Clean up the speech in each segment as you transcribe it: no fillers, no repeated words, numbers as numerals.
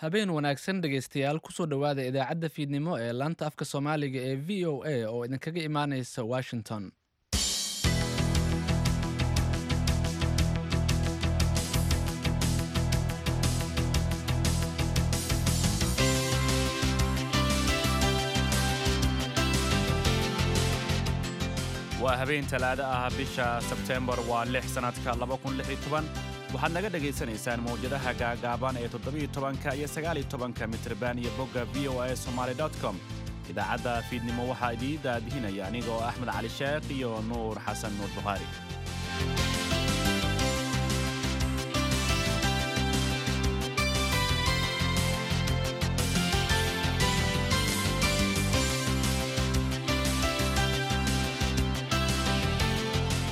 Habeen wanaagsan dhegaystayaal, kusoo dhowaada idaacadda fiidnimo ee laanta afka Soomaaliga ee VOA oo idinkaga imaanaysa Washington. Waa habeen Talaado ah, bisha Sebteembar waa 6, sannadka waxaad naga dhagaysanaysaan mawjadaha gaagaaban ee 17-ka iyo 19-ka mitrban iyo bogga VOA Somaly com. Idaacadda fiidnimo waxaa idiin daadihinaya aniga oo Axmed Cali Sheekh iyo Nuur Xasan Nuur Bukhaari.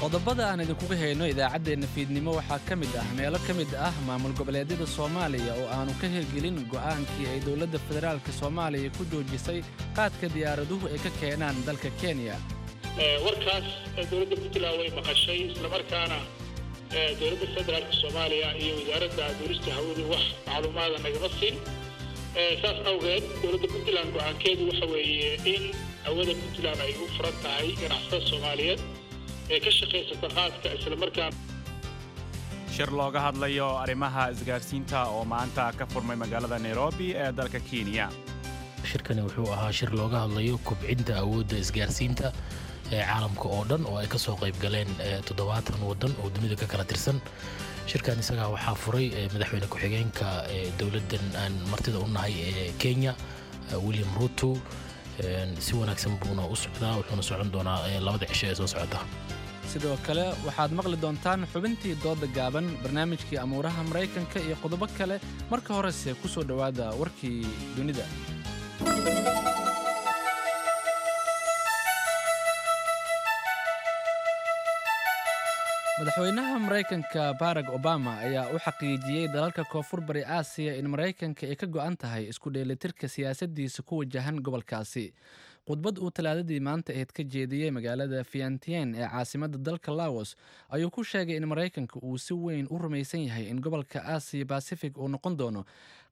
Qodobada aan idinkuga hayno idaacaddeenna fiidnimo waxaa ka mid ah meelo ka mid ah maamul goboleedyada Soomaaliya oo aanu ka hirgelin go'aankii ay dowladda federaalka Soomaaliya ku joojisay qaadka diyaaraduhu ay ka keenaan dalka Kenya. Warkaas dowladda Puntland way maqashay, islamarkaana dowladda federaalka Soomaaliya iyo wasaaradda duurista hawadu wax macluumaada nagama siin. Saas awgeed dowladda Puntland go'aankeedu waxa weeye in hawada Puntland ay u furan tahay ganacsatada Soomaaliyeed ee ka shaqaysata qaadka islamarkaan. Shir looga hadlayo arrimaha isgaarsiinta oo maanta ka furmay magaalada Nairobi ee dalka Kenya. Shirkani wuxuu ahaa shir looga hadlayo kobcinta awoodda isgaarsiinta ee caalamka oo dhan, oo ay ka soo qayb galeen 70 waddan oo dunida ka kala tirsan. Shirkan isagaa waxaa furay madaxweyne ku-xigeenka dowladdan aan martida u nahay ee Kenya, William Ruto. Si wanaagsan buuna u socdaa, wuxuuna socon doonaa 2-da cisho ee soo socota. Sidoo kale waxaad maqli doontaan xubintii dooda gaaban, barnaamijkii amuuraha Maraykanka iyo qodobo kale. Marka horese ku soo dhowaada warkii dunida. Madaxweynaha Maraykanka Barack Obama ayaa u xaqiijiyey dalalka Koonfur Bari Aasiya in Maraykanka ay ka go'an tahay isku dheelitirka siyaasaddiisa ku wajahan gobolkaasi. Khudbad uu Talaadadii maanta ahayd ka jeediyey magaalada Fiantien ee caasimadda dalka Laos ayuu ku sheegay in Maraykanka uu si weyn u rumaysan yahay in gobolka Aasiya Basifig uu noqon doono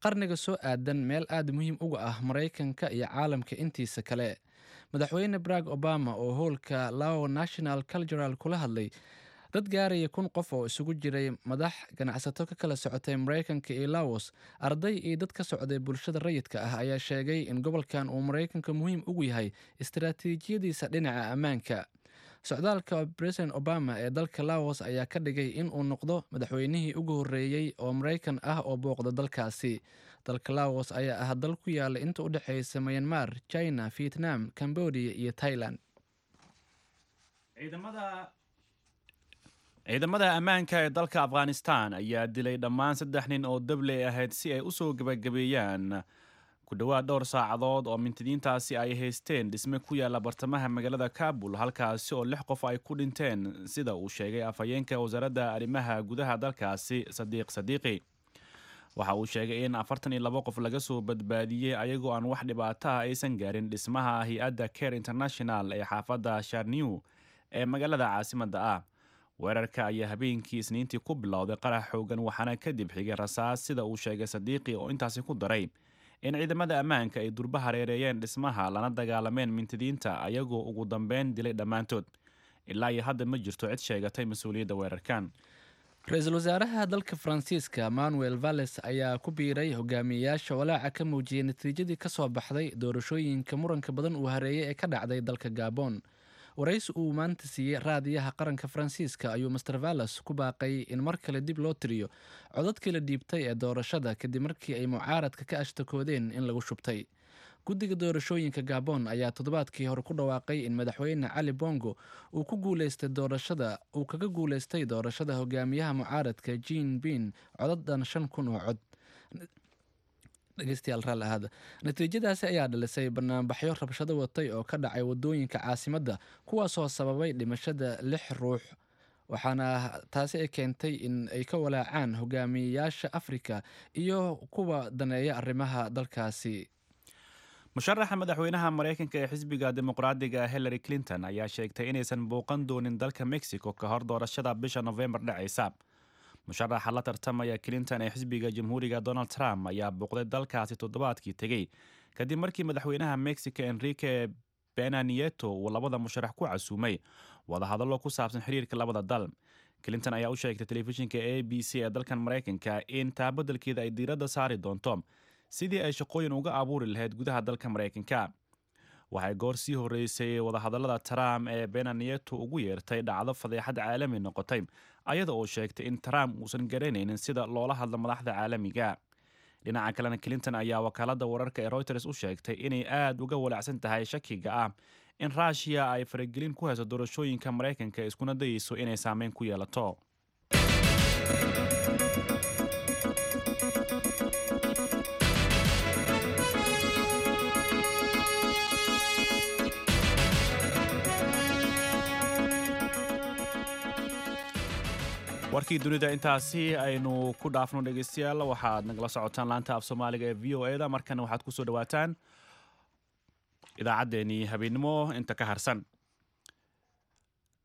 qarniga soo aadan meel aad muhiim uga ah Maraykanka iyo caalamka intiisa kale. Madaxweyne Barack Obama oo howlka Lao National Cultural kula hadlay dad gaaraya 1000 qof oo isugu jiray madax, ganacsato ka kala socotay Maraykanka iyo Laos, arday iyo dad ka socday bulshada rayidka ah ayaa sheegay in gobolkan uu Maraykanka muhiim ugu yahay istaraatiijiyadiisa dhinaca ammaanka. Socdaalka President Obama ee dalka Laos ayaa ka dhigay in uu noqdo madaxweynihii ugu horreeyey oo Maraykan ah oo booqda dalkaasi. Dalka Laos ayaa ah dal ku yaala inta u dhexaysa Myanmar, China, Vietnam, Cambodia iyo Thailand. Ciidamada ammaanka ee dalka Afghanistan ayaa dilay dhammaan saddex nin oo dabley ahayd si ay usoo gebagabeeyaan ku dhowaad dhowr saacadood oo mintidiintaasi ay haysteen dhisme ku yaalla bartamaha magaalada Kabul, halkaasi oo lix qof ay ku dhinteen, sida uu sheegay afhayeenka wasaaradda arrimaha gudaha dalkaasi, Sadiiq Sadiiqi. Waxa uu sheegay in 42 qof laga soo badbaadiyey ayagoo aan wax dhibaato ah aysan gaarin dhismaha hay-adda Care International ee xaafadda Sharnew ee magaalada caasimadda ah. Weerarka ayaa habeenkii Isniintii ku bilowday qarax xoogan, waxaana kadib xigay rasaas, sida uu sheegay Sadiiqi, oo intaasi ku daray in ciidamada ammaanka ay durba hareereeyeen dhismaha lana dagaalameen mintidiinta, ayagoo ugu dambeyn dilay dhammaantood. Ilaa iyo hadda ma jirto cid sheegatay mas-uuliyadda weerarkan. Ra-iisul wasaaraha dalka Faransiiska Manuel Valles ayaa ku biiray hogaamiyeyaasha walaaca ka muujiyey natiijadii ka soo baxday doorashooyinka muranka badan uu hareeyay ee ka dhacday dalka Gabon. Waraysi uu maanta siiyey raadiyaha qaranka Faransiiska ayuu Master Valles ku baaqay in mar kale dib loo tiriyo codadkii la dhiibtay ee doorashada, kadib markii ay mucaaradka ka ashtakoodeen in lagu shubtay. Guddiga doorashooyinka Gabon ayaa toddobaadkii hore ku dhawaaqay in madaxweyne Cali Bongo uu ku guuleystay doorashada, uu kaga guuleystay doorashada hogaamiyaha mucaaradka Jean Bin codadan 5000 oo cod. Dhegeystayaal, raalli ahaada. Natiijadaasi ayaa dhalisay banaanbaxyo rabshado watay oo ka dhacay wadooyinka caasimadda, kuwaasoo sababay dhimashada lix ruux, waxaana taasi ay keentay in ay ka walaacaan hogaamiyeyaasha Afrika iyo kuwa daneeya arrimaha dalkaasi. Musharaxa madaxweynaha Maraykanka ee xisbiga Dimuqraadiga Hillary Clinton ayaa sheegtay inaysan booqan doonin dalka Mexico ka hor doorashada bisha Nofembar dhacaysa. Musharaxa la tartamaya Clinton ee xisbiga Jamhuuriga, Donald Trump, ayaa booqday dalkaasi toddobaadkii tegey, kadib markii madaxweynaha Mexico, Enrique Pena Nieto, uu labada musharax ku casuumay wadahadallo ku saabsan xiriirka labada dal. Clinton ayaa u sheegtay telefishinka ABC ee dalkan Maraykanka in taa beddelkeeda ay diiradda saari doonto sidii ay shaqooyin uga abuuri lahayd gudaha dalka Maraykanka. Waxay goor sii horreysay wadahadallada Trump ee Pena Nieto ugu yeertay dhacdo fadeexad caalami noqotay, ayada oo sheegtay in Trump uusan garanaynin sida loola hadlo madaxda caalamiga. Dhinaca kalena, Clinton ayaa wakaaladda wararka ee Reuters u sheegtay inay aada uga walaacsan tahay shakiga ah in Ruushiya ay faragelin ku hayso doorashooyinka Maraykanka, iskuna dayeyso inay saameyn ku yeelato. Warkii dunida intaasi aynu ku dhaafno. Dhegeystayaal, waxaad nagala socotaan laanta af Soomaaliga ee VOA da. Markana waxaad kusoo dhawaataan idaacaddeenii habeennimo inta ka harsan.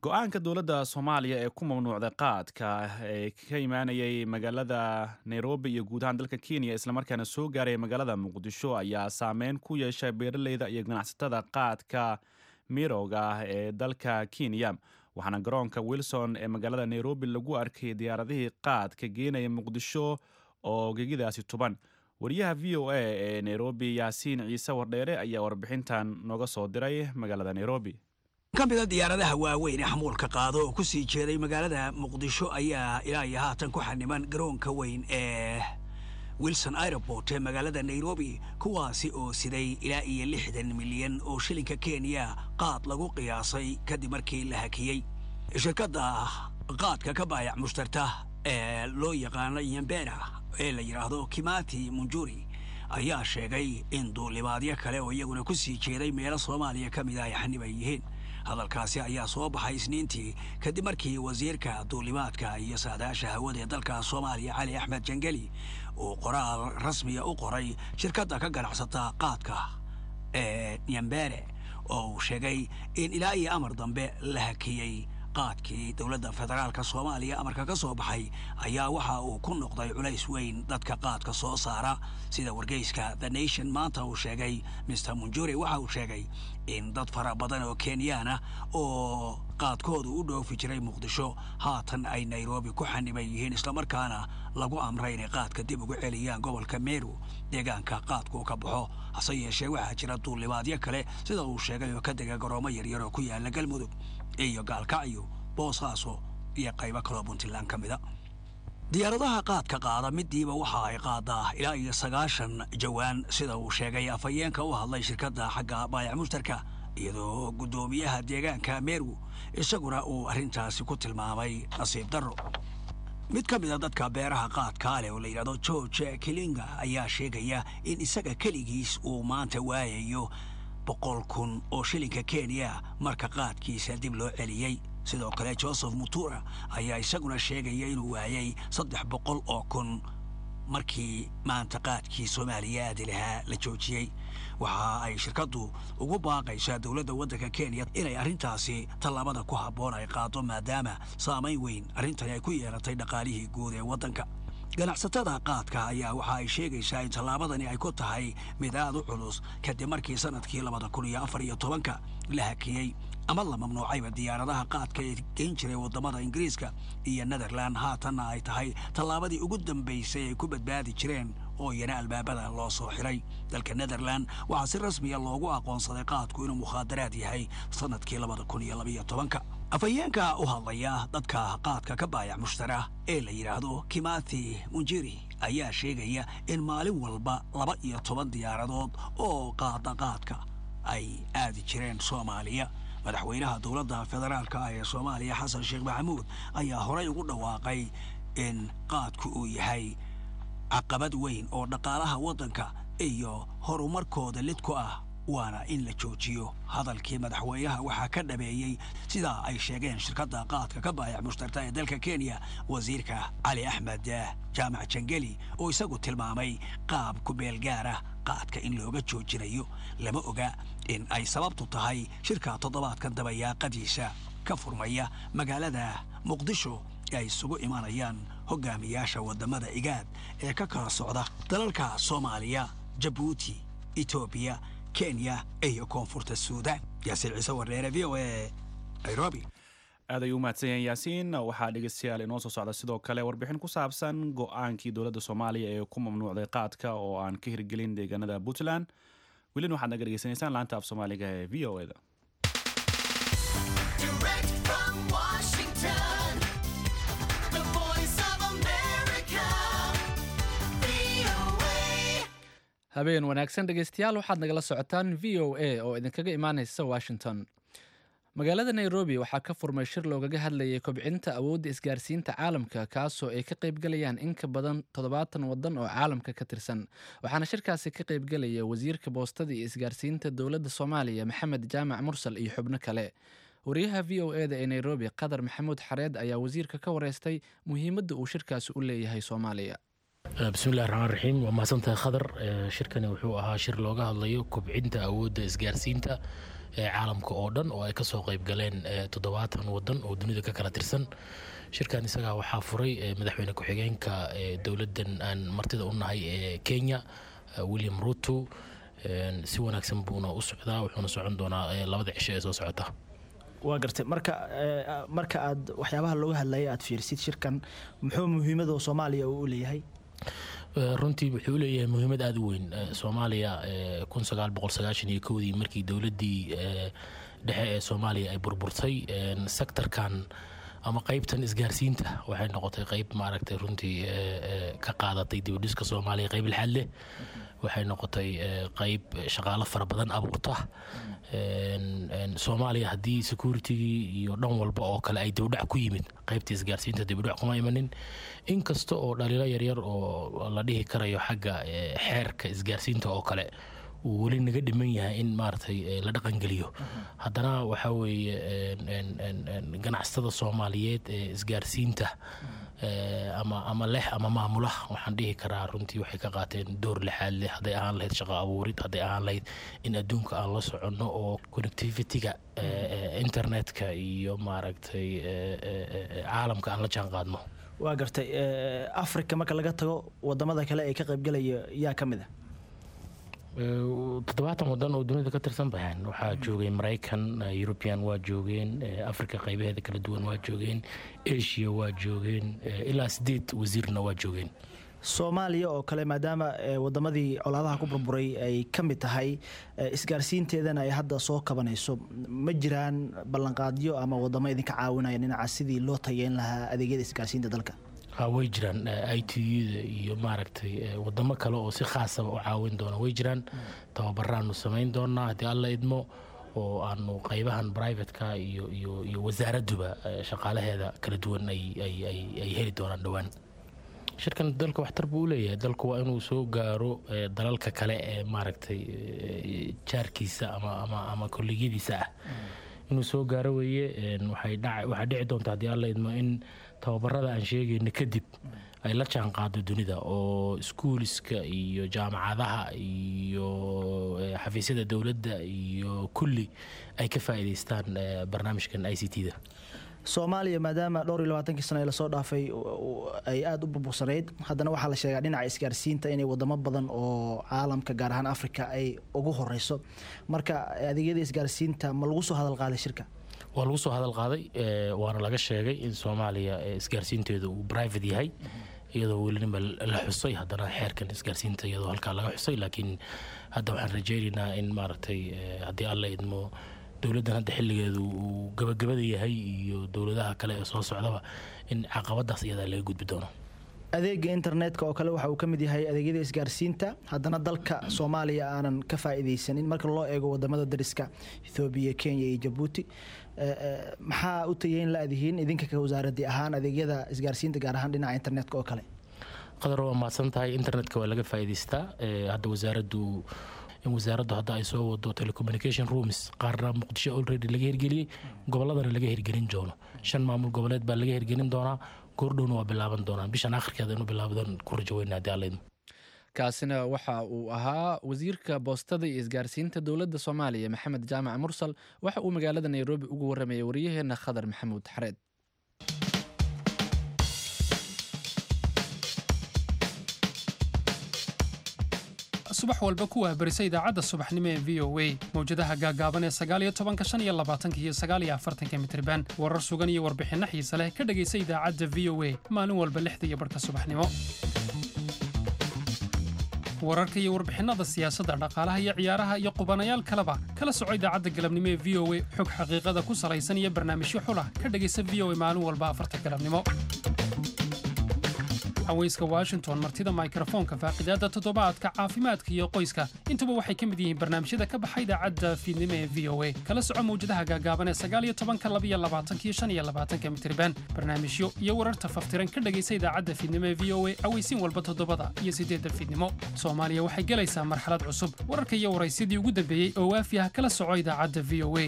Go'aanka dowladda Soomaaliya ee ku mamnuucday qaadka ee ka imaanayay magaalada Nairobi iyo guud ahaan dalka Kenya, islamarkaana soo gaaray magaalada Muqdisho, ayaa saameyn ku yeeshay beeraleyda iyo ganacsatada qaadka mirowga ah ee dalka Kenya, waxaana garoonka Wilson ee magaalada Nairobi lagu arkay diyaaradihii qaadka geenaya Muqdisho oo gegidaasi tuban. Wariyaha VOA ee Nairobi, Yaasiin Ciise Wardheere, ayaa warbixintan nooga soo diray magaalada Nairobi. Ka mida diyaaradaha waaweyn ee xamuulka qaado oo ku sii jeeday magaalada Muqdisho ayaa ilaa iyo haatan ku xaniban garoonka weyn ee Wilson Airport ee magaalada Nairobi, kuwaasi oo siday ilaa iyo 60 milyan oo shilinka Kenya qaad lagu qiyaasay, kadib markii la hakiyey. Shirkadda qaadka ka baayac mushtarta ee loo yaqaano Yambera ee la yidhaahdo Kimati Munjuri ayaa sheegay in duulimaadyo kale oo iyaguna ku sii jeeday meelo Soomaaliya ka mida ay xaniban yihiin. Hadalkaasi ayaa soo baxay Isniintii, kadib markii wasiirka duulimaadka iyo saadaasha hawada ee dalka Soomaaliya, Cali Axmed Jangeli, uu qoraal rasmiya u qoray shirkadda ka ganacsata qaadka ee Nyambere, oo uu sheegay in ilaa iyo amar dambe la hakiyey qaadkii. Dowladda federaalka Soomaaliya amarka ka soo baxay ayaa waxa uu ku noqday culays weyn dadka qaadka soo saara, sida wargeyska The Nation maanta uu sheegay. Mr Munjuri waxa uu sheegay in dad fara badan oo Kenyaan ah oo qaadkoodu u dhoofi jiray Muqdisho haatan ay Nairobi ku xaniban yihiin, islamarkaana lagu amray inay qaadka dib ugu celiyaan gobolka Meru, deegaanka qaadku ka baxo. Hase yeeshee, waxaa jira duulimaadyo kale, sida uu sheegay, oo ka dega garoomo yaryar oo ku yaala Galmudug iyo Gaalkacyo, Boosaaso iyo qaybo kaloo Puntland ka mida. Diyaaradaha qaadka qaada midiiba waxa ay qaadaa ilaa iyo 90 jawaan, sida uu sheegay afhayeenka u hadlay shirkadda xagga baayac mushtarka, iyadoo guddoomiyaha deegaanka Meru isaguna uu arrintaasi ku tilmaamay nasiib darro. Mid ka mida dadka beeraha qaadkaa leh oo la yidhahdo George Kilinga ayaa sheegaya in isaga keligiis uu maanta waayayo 100,000 oo shilinka Kenya marka qaadkiisa dib loo celiyey. Sidoo kale, Joseph Mutura ayaa isaguna sheegaya inuu waayey 300,000 markii maanta qaadkii Soomaaliya aadi lahaa la joojiyey. Waxa ay shirkaddu ugu baaqaysaa dowladda waddanka Kenya inay arrintaasi tallaabada ku habboon ay qaado, maadaama saamayn weyn arrintani ay ku yeelatay dhaqaalihii guud ee waddanka. Ganacsatada qaadka ayaa waxa ay sheegaysaa in tallaabadani ay ku tahay mid aad u culus, kadib markii sanadkii 2014-ka la hakiyey ama la mamnuucayba diyaaradaha qaadka ee geyn jiray waddamada Ingiriiska iyo Netherland, haatanna ay tahay tallaabadii ugu dambaysay ay ku badbaadi jireen oo iyana albaabada loo soo xiray. Dalka Netherland waxaa si rasmiya loogu aqoonsaday qaadku inuu mukhaadaraad yahay sanadkii 2012-ka. Afhayeenka u hadlaya dadka qaadka ka baayac mushtara ee la yidhaahdo Kimathi Munjiri ayaa sheegaya in maalin walba 12 diyaaradood oo qaada qaadka ay aadi jireen Soomaaliya. Madaxweynaha dowladda federaalka ah ee Soomaaliya, Xasan Sheekh Maxamuud, ayaa horay ugu dhawaaqay in qaadku uu yahay caqabad weyn oo dhaqaalaha waddanka iyo horumarkooda lid ku ah, waana in la joojiyo. Hadalkii madaxweynaha waxaa ka dhabeeyey, sidaa ay sheegeen shirkadda qaadka ka baayac mushtarta ee dalka Kenya, wasiirka Cali Axmed Jaamac Jangeli, oo isagu tilmaamay qaab ku-meel gaara qaadka in looga joojinayo. Lama oga in ay sababtu tahay shirka toddobaadkan dabayaaqadiisa ka furmaya magaalada Muqdisho ee ay isugu imanayaan. Hogaamiyaasha waddamada IGAD ee ka kala socda dalalka Soomaaliya, Jabuuti, Etoobiya, Kenya iyo Koonfurta Suudaan. Yaasiin Ciise Wardheere, VOA, Nairobi. Aad ayuu umahadsan yahay Yaasiin. Waxaa dhegeystayaal inoo soo socda sidoo kale warbixin ku saabsan go-aankii dowladda Soomaaliya ee ku mamnuucday qaadka oo aan ka hirgelin deegaanada Puntland. Welina waxaad naga dhegeysanaysaan laanta af Soomaaliga ee VOA da. Direct from Washington, the Voice of America, VOA. Habeen wanaagsan dhegeystayaal, waxaad nagala socotaan VOA oo idinkaga imaaneysa Washington. Magaalada Nairobi waxaa ka furmay shir loogaga hadlayay kobcinta awoodda isgaarsiinta caalamka, kaasoo ay ka qaybgalayaan in ka badan 70 wadan oo caalamka ka tirsan. Waxaana shirkaasi ka qaybgalaya wasiirka boostada iyo isgaarsiinta dowladda Soomaaliya, Maxamed Jaamac Mursal, iyo xubno kale. Wariyaha VOA da ee Nairobi, Qadar Maxamuud Xareed, ayaa wasiirka ka wareystay muhiimadda uu shirkaasi u leeyahay Soomaaliya. Bismillahi raxmaan raxiim, waa mahadsantahay Khadar. Shirkani wuxuu ahaa shir looga hadlayo kobcinta awoodda isgaarsiinta ee caalamka oo dhan oo ay kasoo qayb galeen 70 wadan oo dunida ka kala tirsan. Shirkan isagaa waxaa furay madaxweyne ku-xigeenka dowladdan aan martida u nahay ee Kenya, William Ruto. Si wanaagsan buuna u socdaa, wuxuuna socon doonaa 2da cisho ee soo socota. Waa gartay. Marka aad waxyaabaha looga hadlayay aad fiirsid, shirkan muxuu muhiimada Soomaaliya uu u leeyahay? Runtii wuxuu leeyahay muhiimad aada u weyn. Soomaaliya 1991-dii markii dowladdii dhexe ee Soomaaliya ay burburtay, sectorkan ama qeybtan isgaarsiinta waxay noqotay qeyb maaragtay runtii ka qaadatay dibudhiska Soomaaliya qeyb lixaad leh. Waxay noqotay qeyb shaqaalo fara badan abuurta. Soomaaliya haddii securitygii iyo dhan walba oo kale ay dibudhac ku yimid, qeybta isgaarsiinta dibudhac kuma imanin, inkasta oo dhaliilo yaryar oo la dhihi karayo xagga xeerka isgaarsiinta oo kale uu weli naga dhiman yahay in maaragtay la dhaqangeliyo. Haddana waxaa weeye ganacsatada Soomaaliyeed ee isgaarsiinta ama leh ama maamula, waxaan dhihi karaa runtii waxay ka qaateen door lixaad leh, hadday ahaan lahayd shaqo abuurid, hadday ahaan lahayd in adduunka aan la soconno oo connectivity-ga internetka iyo maaragtay caalamka aan la jaan qaadno. Waa gartay. Africa marka laga tago, wadamada kale ee ka qaybgalaya yaa ka mid ah? 70 wadan oo dunida ka tirsan baxeen. Waxaa joogay Maraykan, European waa joogeen, Africa qaybaheeda kala duwan waa joogeen, Asia waa joogeen, ilaa sideed wasiirna waa joogeen. Soomaaliya oo kale, maadaama wadamadii colaadaha ku burburay ay ka mid tahay, isgaarsiinteedana ay hadda soo kabanayso, ma jiraan ballanqaadyo ama wadamo idinka caawinaya dhinaca sidii loo tayeyn lahaa adeegyada isgaarsiinta dalka? Ha, way jiraan. ITU-da iyo maaragtay wadamo kale oo si khaasaba u caawin doona way jiraan. Tababaraanu samayn doonaa haddii Alla idmo, oo aanu qaybahan privateka iyo wasaaradduba shaqaalaheeda kala duwan ay heli doonaan dhowaan. Shirkan dalka waxtar buu u leeyahay. Dalku waa inuu soo gaaro dalalka kale ee maaragtay jaarkiisa ama kolligyadiisa ah inuu soo gaaro weeye. Waxaa dhici doonta haddii Alla idmo in tababarada aan sheegayno kadib ay la jaan qaado dunida, oo iskuuliska iyo jaamacadaha iyo xafiisyada dowladda iyo kulli ay ka faa'iidaystaan barnaamijkan ICT-da. Soomaaliya maadaama dhowr iyo labaatankii sano ee lasoo dhaafay ay aada u burbursanayd, haddana waxaa la sheegaa dhinaca isgaarsiinta inay wadamo badan oo caalamka, gaar ahaan Africa, ay ugu horeyso. Marka adeegyada isgaarsiinta ma lagu soo hadal qaaday shirka? Waa lagu soo hadal qaaday, waana laga sheegay in Soomaaliya isgaarsiinteedu uu private yahay, iyadoo welinima la xusay haddana xeerkan isgaarsiinta iyadoo halkaa laga xusay. Laakiin hadda waxaan rajaynaynaa in maaragtay haddii Alla idmo dowladdan hadda xilligeedu uu gabagabada yahay iyo dowladaha kale ee soo socdaba in caqabadaas iyadaa laga gudbi doono. Adeega internetka oo kale waxa uu ka mid yahay adeegyada isgaarsiinta, haddana dalka Soomaaliya aanan ka faa'iidaysanin marka loo eego wadamada dariska, Ethoobiya, Kenya iyo Jabuuti. Maxaa u tayeyn la-dihiin idinka ka wasaaradii ahaan adeegyada isgaarsiinta, gaar ahaan dhinaca internetka oo kale? Qadar, waa mahadsan tahay. Internetka waa laga faa'iidaystaa. Hadda wasaaraddu in wasaaraddu hadda ay soo wado telecommunication rooms, qaarna Muqdisho already laga hirgeliyey, gobolladana laga hirgelin doono. Shan maamul goboleed baa laga hirgelin doonaa, goordhowna waa bilaaban doonaa, bishan akhirkeeda inuu bilaabadan ku rajo weyna haddii Alla idmo. Kaasina waxa uu ahaa wasiirka boostada iyo isgaarsiinta dowladda Soomaaliya, Maxamed Jaamac Mursal. Waxa uu magaalada Nairobi ugu waramayay wariyaheena Khadar Maxamuud Xareed. Subax walba ku wahbarisa idaacadda subaxnimo ee VOA, mawjadaha gaagaaban ee 19-ka, 25-ka iyo 49-ka mitirban. Warar sugan iyo warbixinno xiise leh ka dhegaysa idaacadda VOA maalin walba 6:30 subaxnimo. Wararka iyo warbixinnada siyaasadda, dhaqaalaha iyo ciyaaraha iyo qubanayaal kaleba kala soco idaacadda galabnimo ee VOA. Xog xaqiiqada ku salaysan iyo barnaamijyo xulah ka dhegaysa VOA maalin walba 4-ta galabnimo. Haweyska Washington, martida mikrofoonka, faaqidaadda toddobaadka, caafimaadka iyo qoyska, intuba waxay ka mid yihiin barnaamijyada ka baxa idaacadda fiidnimo ee VOA. Kala soco mawjadaha gaagaaban ee 19-ka, 22-ka iyo 25-ka mitirban. Barnaamijyo iyo wararta faftiran ka dhegaysa idaacadda fiidnimo ee VOA aweysiin walba 7-da iyo 8-da fiidnimo. Soomaaliya waxay gelaysaa marxalad cusub. Wararka iyo waraysyadii ugu dambeeyey oo waafi ah kala soco idaacadda VOA.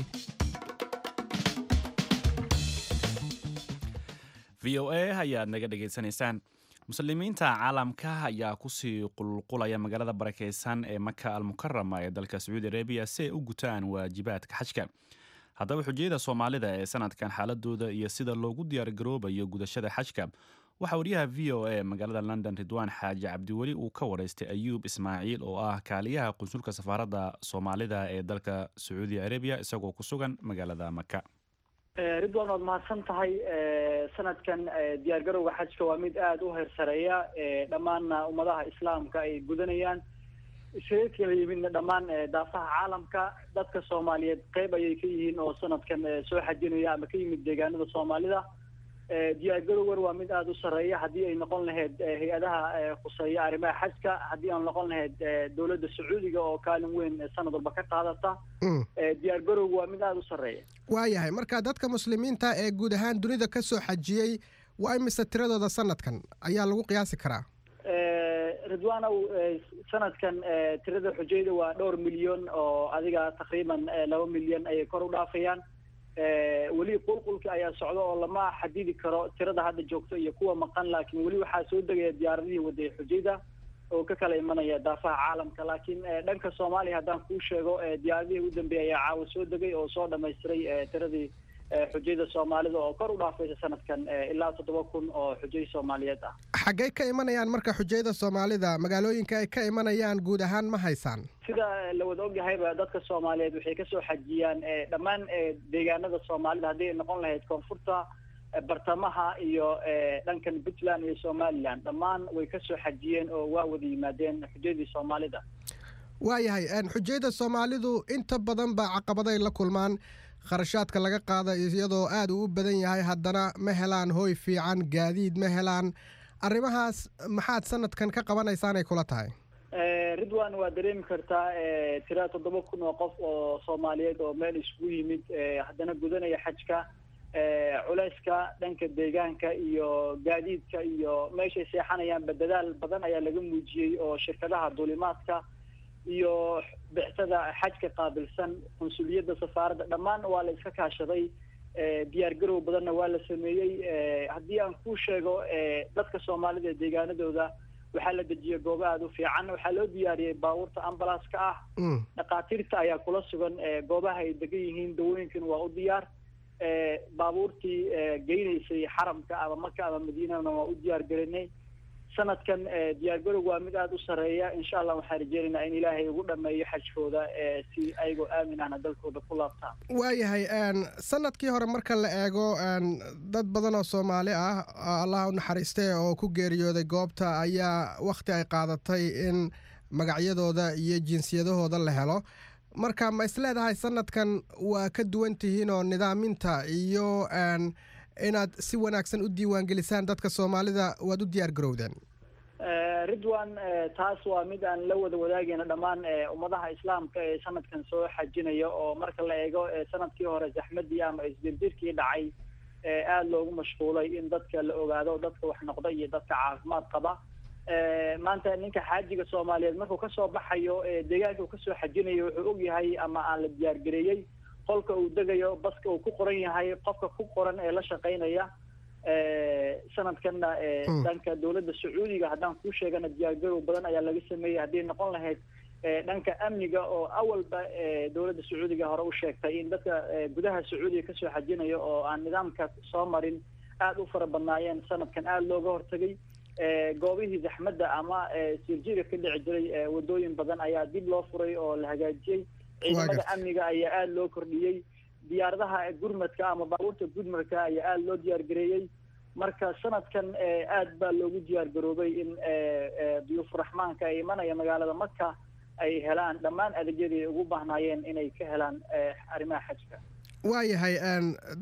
VOA ayaad naga dhegaysanaysaan. Muslimiinta caalamka ayaa kusii qulqulaya magaalada barakeysan ee Maka Almukarama ee dalka Sacuudi Arabiya si ay u gutaan waajibaadka xajka. Haddaba, xujayada Soomaalida ee sanadkan xaaladooda iyo sida loogu diyaargaroobayo gudashada xajka waxaa wariyaha VOA magaalada London, Ridwaan Xaaji Cabdiweli, uu ka wareystay Ayuub Ismaaciil oo ah kaaliyaha qunsulka safaaradda Soomaalida ee dalka Sacuudi Arabiya, isagoo ku sugan magaalada Maka. Ridwan, waad mahadsan tahay. Sanadkan diyaargarowga xajka waa mid aada u heersareeya, dhammaanna ummadaha Islaamka ay gudanayaan, iskaga kala yimidna dhammaan daafaha caalamka. Dadka Soomaaliyeed qeyb ayay ka yihiin oo sanadkan soo xajinaya ama ka yimid deegaanada Soomaalida. Diyaargarowgan waa mid aada u sarreeya, haddii ay noqon lahayd hay-adaha khuseeya arrimaha xajka, haddii aan noqon lahayd dowladda Sacuudiga oo kaalin weyn sanad walba ka qaadata. Diyaargarowgu waa mid aada u sarreeya. Waayahay, marka dadka Muslimiinta ee guud ahaan dunida ka soo xajiyey waa imise tiradooda sanadkan ayaa lagu qiyaasi karaa? Ridwaanow, sanadkan tirada xujayda waa dhowr milyan oo adiga taqriiban 2 milyan ayay kor u dhaafayaan. Weli qulqulka ayaa socda oo lama xadidi karo tirada hadda joogto iyo kuwa maqan, laakiin weli waxaa soo degaya diyaaradihii waday xujayda oo ka kala imanaya daafaha caalamka. Laakiin dhanka Soomaaliya haddaan kuu sheego, diyaaradihii ugu dambeeyay ayaa caawa soo degay oo soo dhamaystiray tiradii xujayda Soomaalida oo kor u dhaafaysa sanadkan ilaa 7000 oo xujay Soomaaliyeed ah. Xaggay ka imanayaan marka xujayda Soomaalida? Magaalooyinka ay ka imanayaan guud ahaan ma haysaan? Sida la wada ogyahayba, dadka Soomaaliyeed waxay kasoo xajiyaan dhammaan deegaanada Soomaalida, haddii ay noqon lahayd koonfurta, bartamaha iyo dhankan Puntland iyo Somaliland. Dhammaan way kasoo xajiyeen oo waa wada yimaadeen xujadii Soomaalida. Waayahay, xujayda Soomaalidu inta badan baa caqabaday la kulmaan. Kharashaadka laga qaada iyadoo aada uu u badan yahay, haddana ma helaan hoy fiican, gaadiid ma helaan. Arrimahaas maxaad sanadkan ka qabanaysaanay kula tahay? Ridwan, waa dareemi kartaa tira 7000 oo qof oo Soomaaliyeed oo meel isugu yimid, haddana gudanaya xajka, culeyska dhanka deegaanka iyo gaadiidka iyo meeshay seexanayaanba dadaal badan ayaa laga muujiyey oo shirkadaha duulimaadka iyo bixtada xajka qaabilsan, qunsuliyadda safaaradda, dhammaan waa la iska kaashaday. Diyaar garow badanna waa la sameeyey. Haddii aan kuu sheego, dadka Soomaalida ee deegaanadooda waxaa la dejiyey goobo aada u fiican. Waxaa loo diyaariyey baabuurta ambalaaska ah. Dhakhaatiirta ayaa kula sugan goobaha ay degan yihiin, dawooyinkan waa u diyaar. Baabuurtii geynaysay xaramka ama Maka ama Madiinana waa u diyaar garinay. Sanadkan diyaargarowg waa mid aada u sarreeya. Insha Allah waxaan rajeynaynaa in Ilaahay ugu dhameeyo xajkooda si ayagoo aamin ahna dalkooda ku laabtaan. Waayahay, sanadkii hore marka la eego, dad badan oo Soomaali ah, Allah u naxariistay, oo ku geeriyooday goobta ayaa wakhti ay qaadatay in magacyadooda iyo jinsiyadahooda la helo. Marka ma isleedahay sanadkan waa ka duwan tihiin oo nidaaminta iyo inaad si wanaagsan u diiwaangelisaan dadka Soomaalida waad u diyaar garowdeen? Ridwan, taas waa mid aan la wada wadaagayna dhammaan ummadaha Islaamka ee sanadkan soo xajinaya, oo marka la eego sanadkii hore zaxmadii ama isdirdirkii dhacay aada loogu mashquulay in dadka la ogaado dadka wax noqda iyo dadka caafimaad qaba. Maanta ninka xaajiga Soomaaliyeed markuu kasoo baxayo deegaanka uu kasoo xajinayo, wuxuu ogyahay ama aan la diyaargareeyey qolka uu degayo, baska uu ku qoran yahay, qofka ku qoran ee la shaqaynaya. Sanadkanna dhanka dowladda Sacuudiga haddaan kuu sheegana, diyaargarow badan ayaa laga sameeyey, hadday noqon lahayd dhanka amniga oo awalba dowladda Sacuudiga hore u sheegtay in dadka gudaha Sacuudiga kasoo xajinaya oo aan nidaamka soo marin aada u fara badnaayeen. Sanadkan aada looga hortagay. Goobihii zaxmadda ama sirjiga ka dhici jiray wadooyin badan ayaa dib loo furay oo la hagaajiyey. Ciidamada amniga ayaa aada loo kordhiyey. Diyaaradaha gurmadka ama baabuurta gurmadka ayaa aada loo diyaargareeyey. Marka sanadkan aad baa loogu diyaargaroobay in duyuufuraxmaanka ay imanaya magaalada Maka ay helaan dhammaan adeegyadii ay ugu baahnaayeen inay ka helaan arrimaha xajka. Waayahay,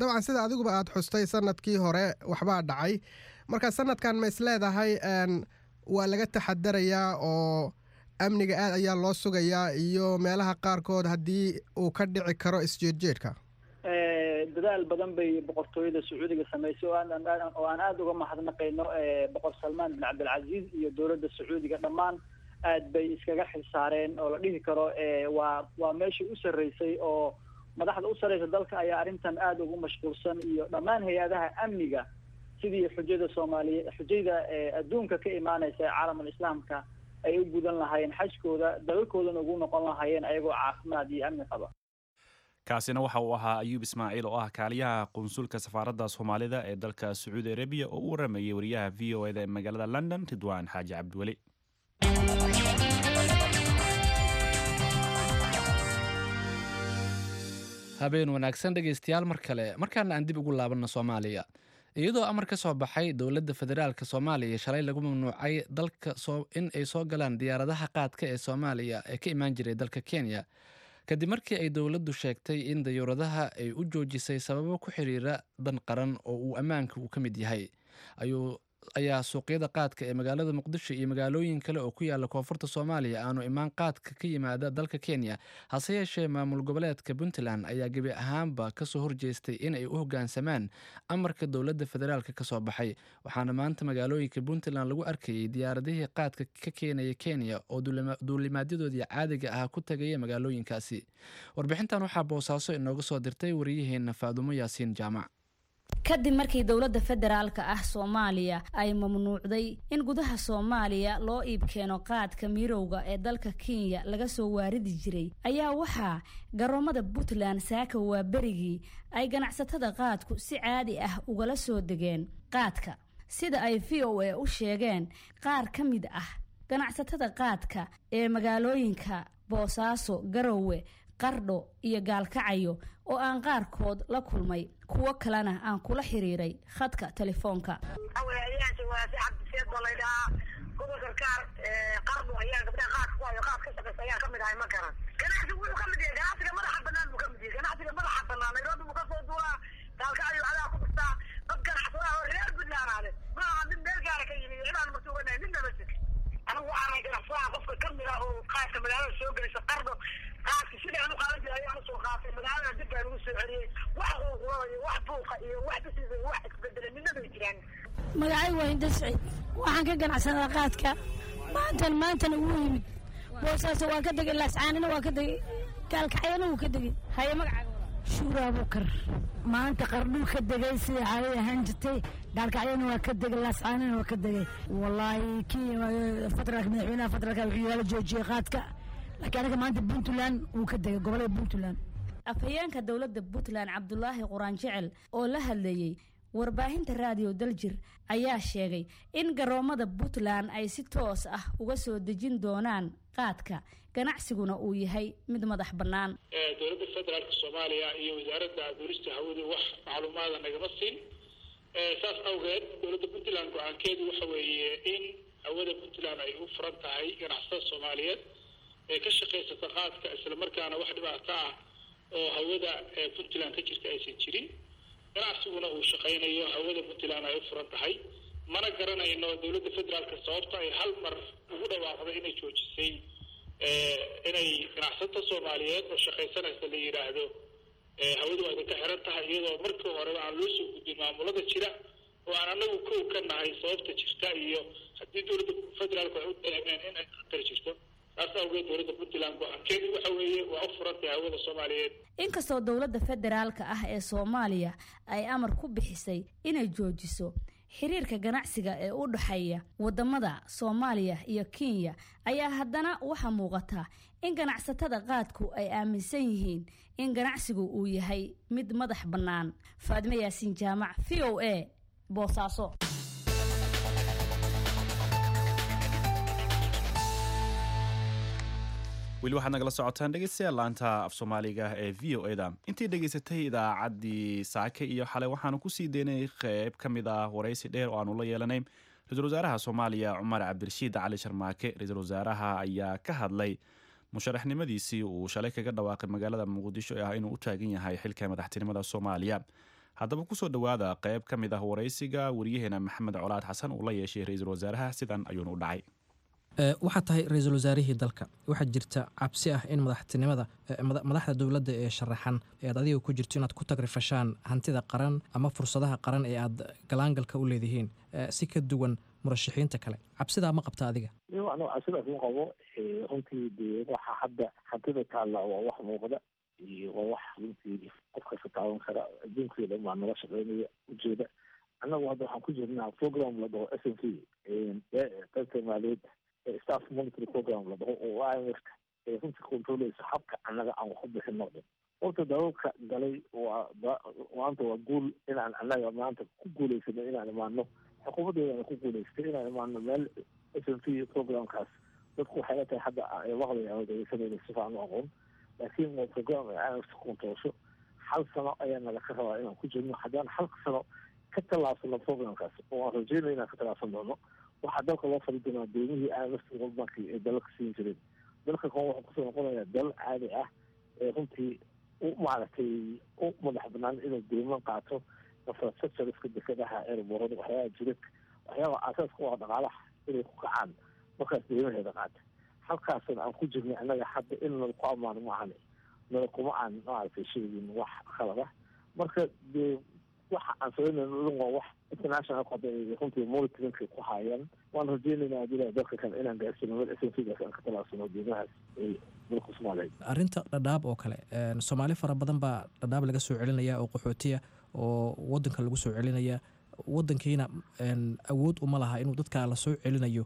dabcan sida adiguba aada xustay, sanadkii hore waxbaa dhacay. Marka sanadkan ma is leedahay waa laga taxadarayaa oo amniga aad ayaa loo sugayaa iyo meelaha qaarkood haddii uu ka dhici karo isjeedjeedka? Dadaal badan bay boqortooyada Sacuudiga samaysay oo aan aada uga mahadnaqayno. Boqor Salmaan bin Cabdilcaziiz iyo dowladda Sacuudiga dhammaan aad bay iskaga xilsaareen oo la dhihi karo waa meeshii u sarreysay oo madaxda u sarreysa dalka ayaa arrintan aada ugu mashquulsan iyo dhammaan hay-adaha amniga, sidii xujada Soomaaliye, xujayda adduunka ka imaanaysa ee caalamul islaamka ay u gudan lahaayeen xajkooda, dalalkoodana ugu noqon lahaayeen ayagoo caafimaad iyo amni qaba. Kaasina waxa uu ahaa Ayuub Ismaaciil oo ah kaaliyaha qunsulka safaaradda Soomaalida ee dalka Sacuudi Arabiya oo u waramayay wariyaha VOA da ee magaalada London, Ridwaan Xaaji Cabdiweli. Habeen wanaagsan, dhegaystayaal, mar kale. Markaana aan dib ugu laabanno Soomaaliya. Iyadoo amar ka soo baxay dowladda federaalka Soomaaliya shalay lagu mamnuucay dalka in ay soo galaan diyaaradaha qaadka ee Soomaaliya ee ka imaan jiray dalka Kenya, kadib markii ay dowladdu sheegtay in dayuuradaha ay u joojisay sababo ku xiriira dan qaran oo uu ammaanka uu ka mid yahay, ayuu ayaa suuqyada qaadka ee magaalada Muqdisho iyo magaalooyin kale oo ku yaala koonfurta Soomaaliya aanu imaan qaadka ka yimaada dalka Kenya. Hase yeeshee, maamul goboleedka Puntland ayaa gebi ahaanba kasoo horjeestay in ay u hoggaansamaan amarka dowladda federaalka kasoo baxay, waxaana maanta magaalooyinka Puntland lagu arkayay diyaaradihii qaadka ka keenaya Kenya oo duulimaadyadoodii caadiga ah ku tagaya magaalooyinkaasi. Warbixintan waxaa Boosaaso inooga soo dirtay wariyaheena Faadumo Yaasiin Jaamac. Kadib markii dowladda federaalka ah Soomaaliya ay mamnuucday in gudaha Soomaaliya loo iib keeno qaadka mirowga ee dalka Kenya laga soo waaridi jiray, ayaa waxaa garoomada Puntland saaka waa berigii ay ganacsatada qaadku si caadi ah ugala soo degeen qaadka, sida ay VOA u sheegeen qaar ka mid ah ganacsatada qaadka ee magaalooyinka Boosaaso, Garowe, Qardho iyo Gaalkacayo oo aan qaarkood la kulmay, kuwo kalena aan kula xiriiray khadka telefoonka. Cabdiseed baa laydhahaa, gobolka Kaar, Qardho ayaan gabdhaha qaadka ku hayo, qaad ka shaqeysa ayaan kamid ahay. Ma garan, ganacsigu wuxuu kamid yahay ganacsiga madaxa banaan buu kamid yahay. Ganacsiga madaxa banaan Nairobi buu kasoo duulaa, Gaalkacyo adaa ku dhuftaa. Dad ganacsadaha oo reer Puntland ale ma aha mid meel gaara ka yimi, cidaan martuuganahay midna ma jirto. Anigu waxaanay ganacsadaha qofka kamid ah oo qaadka magaalada soo gelaysa Qardho. Qaadka sidii aan u qaadan jiray ayaan usoo qaatay, magaalada dib baan ugu soo celiyey. Wax quuqulada iyo wax buuqa iyo wax bisiisa iyo wax isbedelay midna bay jiraan. Magacay waa Hinda Siciid, waxaan ka ganacsadaa qaadka. Maantan maantana wuu yimid Boosaaso, waa ka degay Laascaanina, waa ka degay Gaalkacyana, wuu ka degay. Haye, magacaaga? Shuura Abuukar. Maanta Qardhuu ka degay sidai caadada ahaan jirtay, Gaalkacyana waa ka degay, Laascaanina waa ka degay. Wallaahi kii federaalka, madaxweynaha federaalka wuxuu yaala joojiyey qaadka, laakiin aniga maanta Puntland wuu ka degay, gobolada Puntland. Afhayeenka dowladda Puntland, Cabdulaahi Quraan Jecel, oo la hadlayey warbaahinta Raadiyo Daljir, ayaa sheegay in garoomada Puntland ay si toos ah uga soo dejin doonaan qaadka, ganacsiguna uu yahay mid madax bannaan. Dowladda federaalka Soomaaliya iyo wasaaradda duulista hawadu wax macluumaada nagama siin. Saas awgeed dowladda Puntland go-aankeedu waxa weeye in hawada Puntland ay u furan tahay ganacsatada Soomaaliyeed ee ka shaqaysata qaadka, islamarkaana wax dhibaato ah oo hawada Puntland ka jirta aysan jirin, ganacsiguna uu shaqaynayo, hawada Puntland ay u furan tahay. Mana garanayno dowladda federaalka sababta ay hal mar ugu dhawaaqday inay joojisay inay ganacsatada Soomaaliyeed oo shaqaysanaysa la yidhaahdo hawadu waa idinka xiran tahay, iyadoo markii horeba aan loo soo gudbin maamulada jira oo aan anagu kow ka nahay sababta jirta iyo haddii dowladda federaalka ay u dareemeen in ay khatar jirto. Taas awgeed dowladda Puntland go-aankeedu waxa weeye waa u furan tahay hawada Soomaaliyeed. Inkastoo dowladda federaalka ah ee Soomaaliya ay amar ku bixisay inay joojiso xiriirka ganacsiga ee u dhexeeya wadamada Soomaaliya iyo Kenya, ayaa haddana waxaa muuqata in ganacsatada qaadku ay aaminsan yihiin in ganacsigu uu yahay mid madax bannaan. Faadime Yaasiin Jaamac, VOA, Boosaaso. Weli waxaad nagala socotaan dhegeystayaal laanta af Soomaaliga ee VOA da. Intii dhegeysatay idaacaddii saake iyo xalay, waxaanu kusii deynay qeyb ka mid ah waraysi dheer oo aanu la yeelanay ra-iisul wasaaraha Soomaaliya Cumar Cabdirashiid Cali Sharmaake. Ra-iisul wasaaraha ayaa ka hadlay musharaxnimadiisii uu shalay kaga dhawaaqay magaalada Muqdisho ee ah inuu u taagan yahay xilka madaxtinimada Soomaaliya. Haddaba kusoo dhowaada qeyb ka mid ah waraysiga wariyaheena Maxamed Colaad Xasan uu la yeeshay ra-iisul wasaaraha. Sidan ayuuna u dhacay. Waxaa tahay ra-iisul wasaarihii dalka. Waxaa jirta cabsi ah in madaxtinimada madaxda dowladda ee sharaxan ee aad adiga ku jirto inaad ku tagrifashaan hantida qaran ama fursadaha qaran ee aad galaangalka u leedihiin si ka duwan murashaxiinta kale. Cabsidaa ma qabta adiga? Iyo anigu cabsidaas ma qabo. Runtii dee waxa hadda hantida taalla waa wax muuqda iyo waa wax runtii qof kasta taaban kara. Adduunkii dhan baa nala shaqeynaya ujeeda. Annagu hadda waxaan ku jirnaa program la dhaho SMP, qaybta maaliyadda, staff monitory program la dhaho, oo IMF ee runtii controleysa habka annaga aan wax u bixino dhan. Horta dalalka galay waa maanta waa guul inaan annaga maanta ku guuleysano inaan imaano, xukuumaddeedana ku guuleystay inaan imaano meel SMP programkaas. Dadku waxay la tahay hadda ay maqlaya ama dhegeysanayna si fiican u aqoon, laakiin waa program ay IMF controlsho. Hal sano ayaa nala ka rabaa inaan ku jirno. Haddaan hal sano ka tallaabsano programkaas, oo aan rajeynaya inaan ka tallaabsan doono, waxaa dalka loo fali doonaa deymihii IMF, World Bank ay dalalka siin jireen. Dalka kan wuxuu kusoo noqonayaa dal caadi ah ee runtii u maaragtay u madax banaan inuu deyman qaato, infrastructureska, dekadaha, airportada, waxyaabaha jidadka, waxyaabaha aasaaska u ah dhaqaalaha inay ku kacaan markaas deymaheeda qaata. Halkaasna aan ku jirnay annaga hadda in nala ku ammaano maahane, nala kuma aan maaragtay sheegin wax khalad ah. Marka dee waxa aan samaynayno dhan waa wax international hadda ay runtii monitoringka ku hayaan. Waan rajeynaynaa haddii Ilahay dalka kan inaan gaarsino meel SMP-gaas aan ka tallaabsano deymahaas ay dalka Soomaaliyeed. Arrinta Dhadhaab oo kale, Soomaali fara badan baa Dhadhaab laga soo celinaya oo qaxootiya oo wadanka lagu soo celinaya. Wadankiina awood uma laha inuu dadka la soo celinayo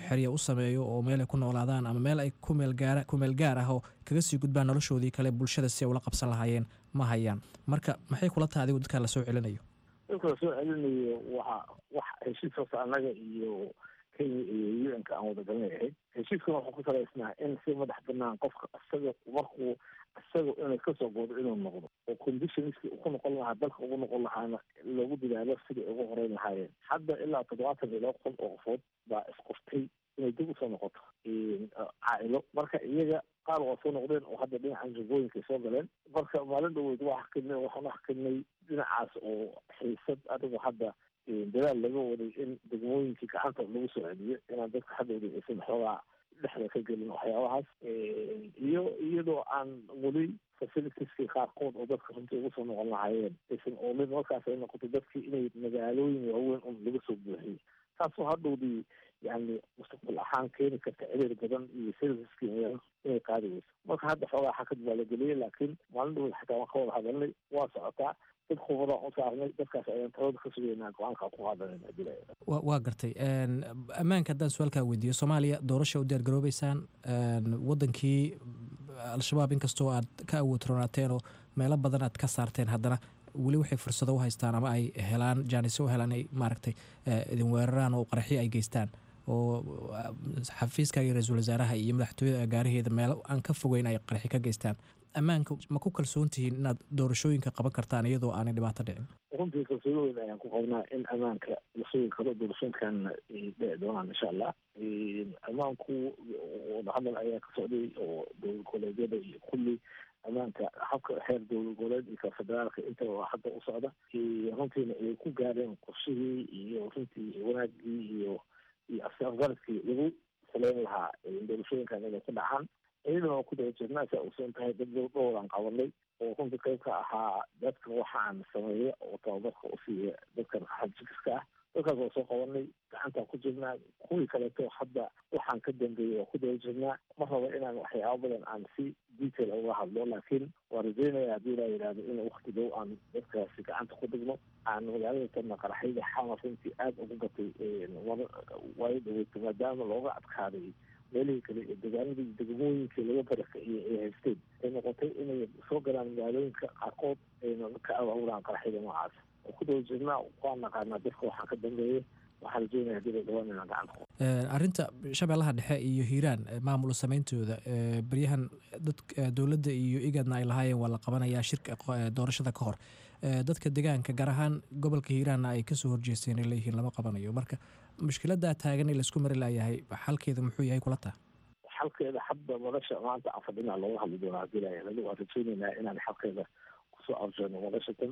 xerya u sameeyo oo meel ay ku noolaadaan ama meel ay ku meel gaar ah oo kaga sii gudbaan noloshoodii kale bulshada si ay ula qabsan lahaayeen ma hayaan. Marka maxay kula tahay adigu dadka la soo celinayo? Dadka la soo celinayo waxa wax heshiis horta annaga iyo Kenya iyo UN-ka aan wada galanay ahayd. Heshiiskuna wuxuu ku salaysnaa in si madax banaan qofka isaga markuu isaga inay kasoo goodo inuu noqdo, oo conditionskii uu ku noqon lahaa dalka ugu noqon lahaana lagu dadaalo sidai ugu horeyn lahaayeen. Hadda ilaa 72,000 oo qofood baa isqoftay inay dib usoo noqoto caa'ilo. Marka iyaga qaar waa soo noqdeen oo hadda dhinacan jubooyinkay soo galeen. Marka maalin dhaweyd waa xakinay, waxaan u xakinay dhinacaas oo xiisad adigu hadda dadaal laga waday in degmooyinkii gacanta lagu soo celiyo, inaan dadka hadhowda aysan xoogaa dhexda ka gelin waxyaabahaas, iyo iyadoo aan weli facilitieski qaarkood oo dadka runtii ugu soo noqon lahaayeen aysan oolin. Markaas ay noqoto dadkii inay magaalooyin waaweyn un laga soo buuxiyo, taasoo hadhowdii yani mustaqbal ahaan keeni karta ciriir badan iyo serviceskii magaalada inay qaadi weyso. Marka hadda xoogaa xakad baa la geliyay, laakiin maalin dhaweyd xataa waan ka wada hadalnay, waa socotaa. Dad khubadaan u saarnay, dadkaas ayaan talada ka sugaynaa, go-aanka ku qaadanayna hadii la yidhaahdo. Waa gartay. Ammaanka haddaan su-aalkaa weydiiyo, Soomaaliya doorasha u diyaar garoobeysaan. Wadankii Al-Shabaab inkastoo aad ka awood roonaateen oo meelo badan aad ka saarteen, haddana weli waxay fursado u haystaan ama ay helaan jaanisyo u helaan ay maaragtay idin weeraraan oo qaraxyo ay geystaan oo xafiiska iyo ra-iisul wasaaraha iyo madaxtooyada gaaraheeda meelo aan ka fogeyn ay qaraxyo ka geystaan. Ammaanka ma ku kalsoon tihiin inaad doorashooyinka qaban kartaan iyadoo aanay dhibaato dhicin? Runtii kalsooni weyn ayaan ku qabnaa in ammaanka la sugi karo, doorashooyinkan ay dhici doonaan insha Allah. Ammaanku wadahadal ayaa ka socday oo dowlad goboleedyada iyo kulli ammaanka habka heer dowlad goboleed iyo ka federaalka intaba waa hadda u socda. Runtiina ay ku gaareen qorshihii iyo runtii wanaagii iyo afgaradkii lagu saleyn lahaa doorashooyinkan inay ku dhacaan. Iyadana waa ku daba jirnaa. Si ogsoon tahay, dad dhowraan qabanay oo runtii qayb ka ahaa dadka waxaan sameeya oo tababarka u siiya dadkan xadjikiska ah. Dadkaas waa soo qabanay, gacantaan ku jirnaa. Kuwii kaleeto hadda waxaan ka dambeeyey waa ku daba jirnaa. Ma rabo inaan waxyaabo badan aan si detail uga hadlo, laakiin waan rajeynaya haddii laa yidhahdo in waqti dhow aan dadkaasi gacanta ku dhigno. Aan magaalada tanna qaraxyada Xamar runtii aada ugu gatay waayo dhaweyto, maadaama looga adkaaday meelihii kale ee degaanadii degmooyinkii laga barakiciyey ay haysteen, ay noqotay inay soo galaan magaalooyinka qaarkood ayna ka abaabudaan qaraxyada noocaas. Oo ku daba jirnaa, waan naqaanaa dadka waxaan ka dambeeya. Waxaan Waxaan rajeynaya hadii la dhawaan inaan gacanta ku Arrinta Shabeellaha Dhexe iyo Hiiraan, maamul sameyntooda, baryahan dad dowladda iyo IGADna ay lahaayeen waa la qabanayaa shirka doorashada ka hor, dadka deegaanka gaar ahaan gobolka Hiiraanna ay kasoo horjeesteen ay leeyihiin lama qabanayo. Marka mushkiladaa taagan ee laisku mari laayahay, xalkeeda muxuu yahay kula taha? Xalkeeda hadda madasha maanta aan fadhinaa looga hadli doonaa hadii la yidhahdo. Waan rajeynaynaa inaan xalkeeda kusoo arjono madasha tan.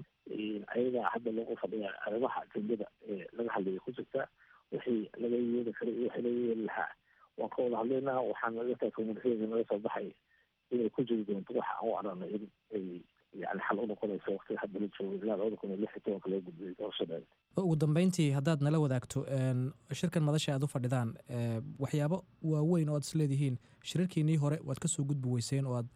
Ayadaa hadda loogu fadhiyaa arrimaha ajendada ee laga hadlaya ku jirta. Wixii laga yeeli karay iyo wixii laga yeeli lahaa waan ka wada hadlaynaa. Waxaan naga tahay communication naga soo baxay inay ku jiri doonto waxa aan u aragnay in ay yani xal u noqonayso waqtiga hadda la joogo ilaa 2016 loo gudbiyay doorashadeeda. Ugu dambeyntii, haddaad nala wadaagto shirkan madasha aad u fadhidaan, waxyaabo waaweyn oo aad isleedihiin shirarkiinii hore waad kasoo gudbi weyseen oo aad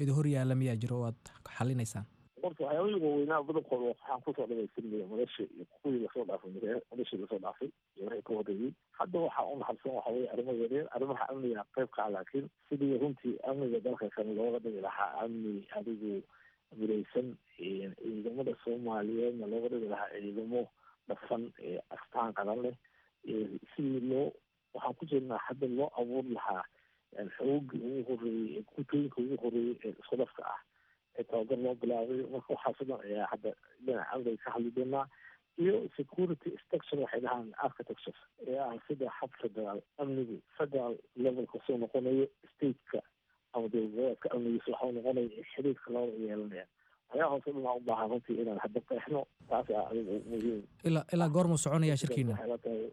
idin hor yaalla miyaa jiro oo aad xalinaysaan? Horta waxyaabihii waaweynaa badankooda waxaan kusoo dhamaystirnaya madasha iyo kuwii lasoo dhaafay, madashii lasoo dhaafay iyo wixii ka horreeyey. Hadda waxaa u naxarisan waxa weye arrimo yaryar, arrimaha amniga qayb ka ah, laakiin sidii runtii amniga dalka kan looga dhigi lahaa amni adigu midaysan, ciidamada Soomaaliyeedna looga dhigi lahaa ciidamo dhafan ee astaan qaran leh, sidii loo waxaan ku jirnaa hadda loo abuuri lahaa xoogii ugu horreeyey ee gutooyinka ugu horreeyey ee isku dhafka ah ee tababar loo bilaabay. Marka waxaas o dhan ayaa hadda dhinaca amniga ka hadli doonaa iyo security structure waxay dhahaan architecture ee ah sida hab federaal amnigu federal levelka soo noqonayo, stateka ama dowlad goboleedka amnigiisa waxau noqonaya xiriirka labada yeelanaya. Waxyaabahaas o dhan aa u baahan runtii inaan hadda qeexno, taas aa adigu muhiim. Ilaa goormuu soconayaa shirkiina? Waxay la tahay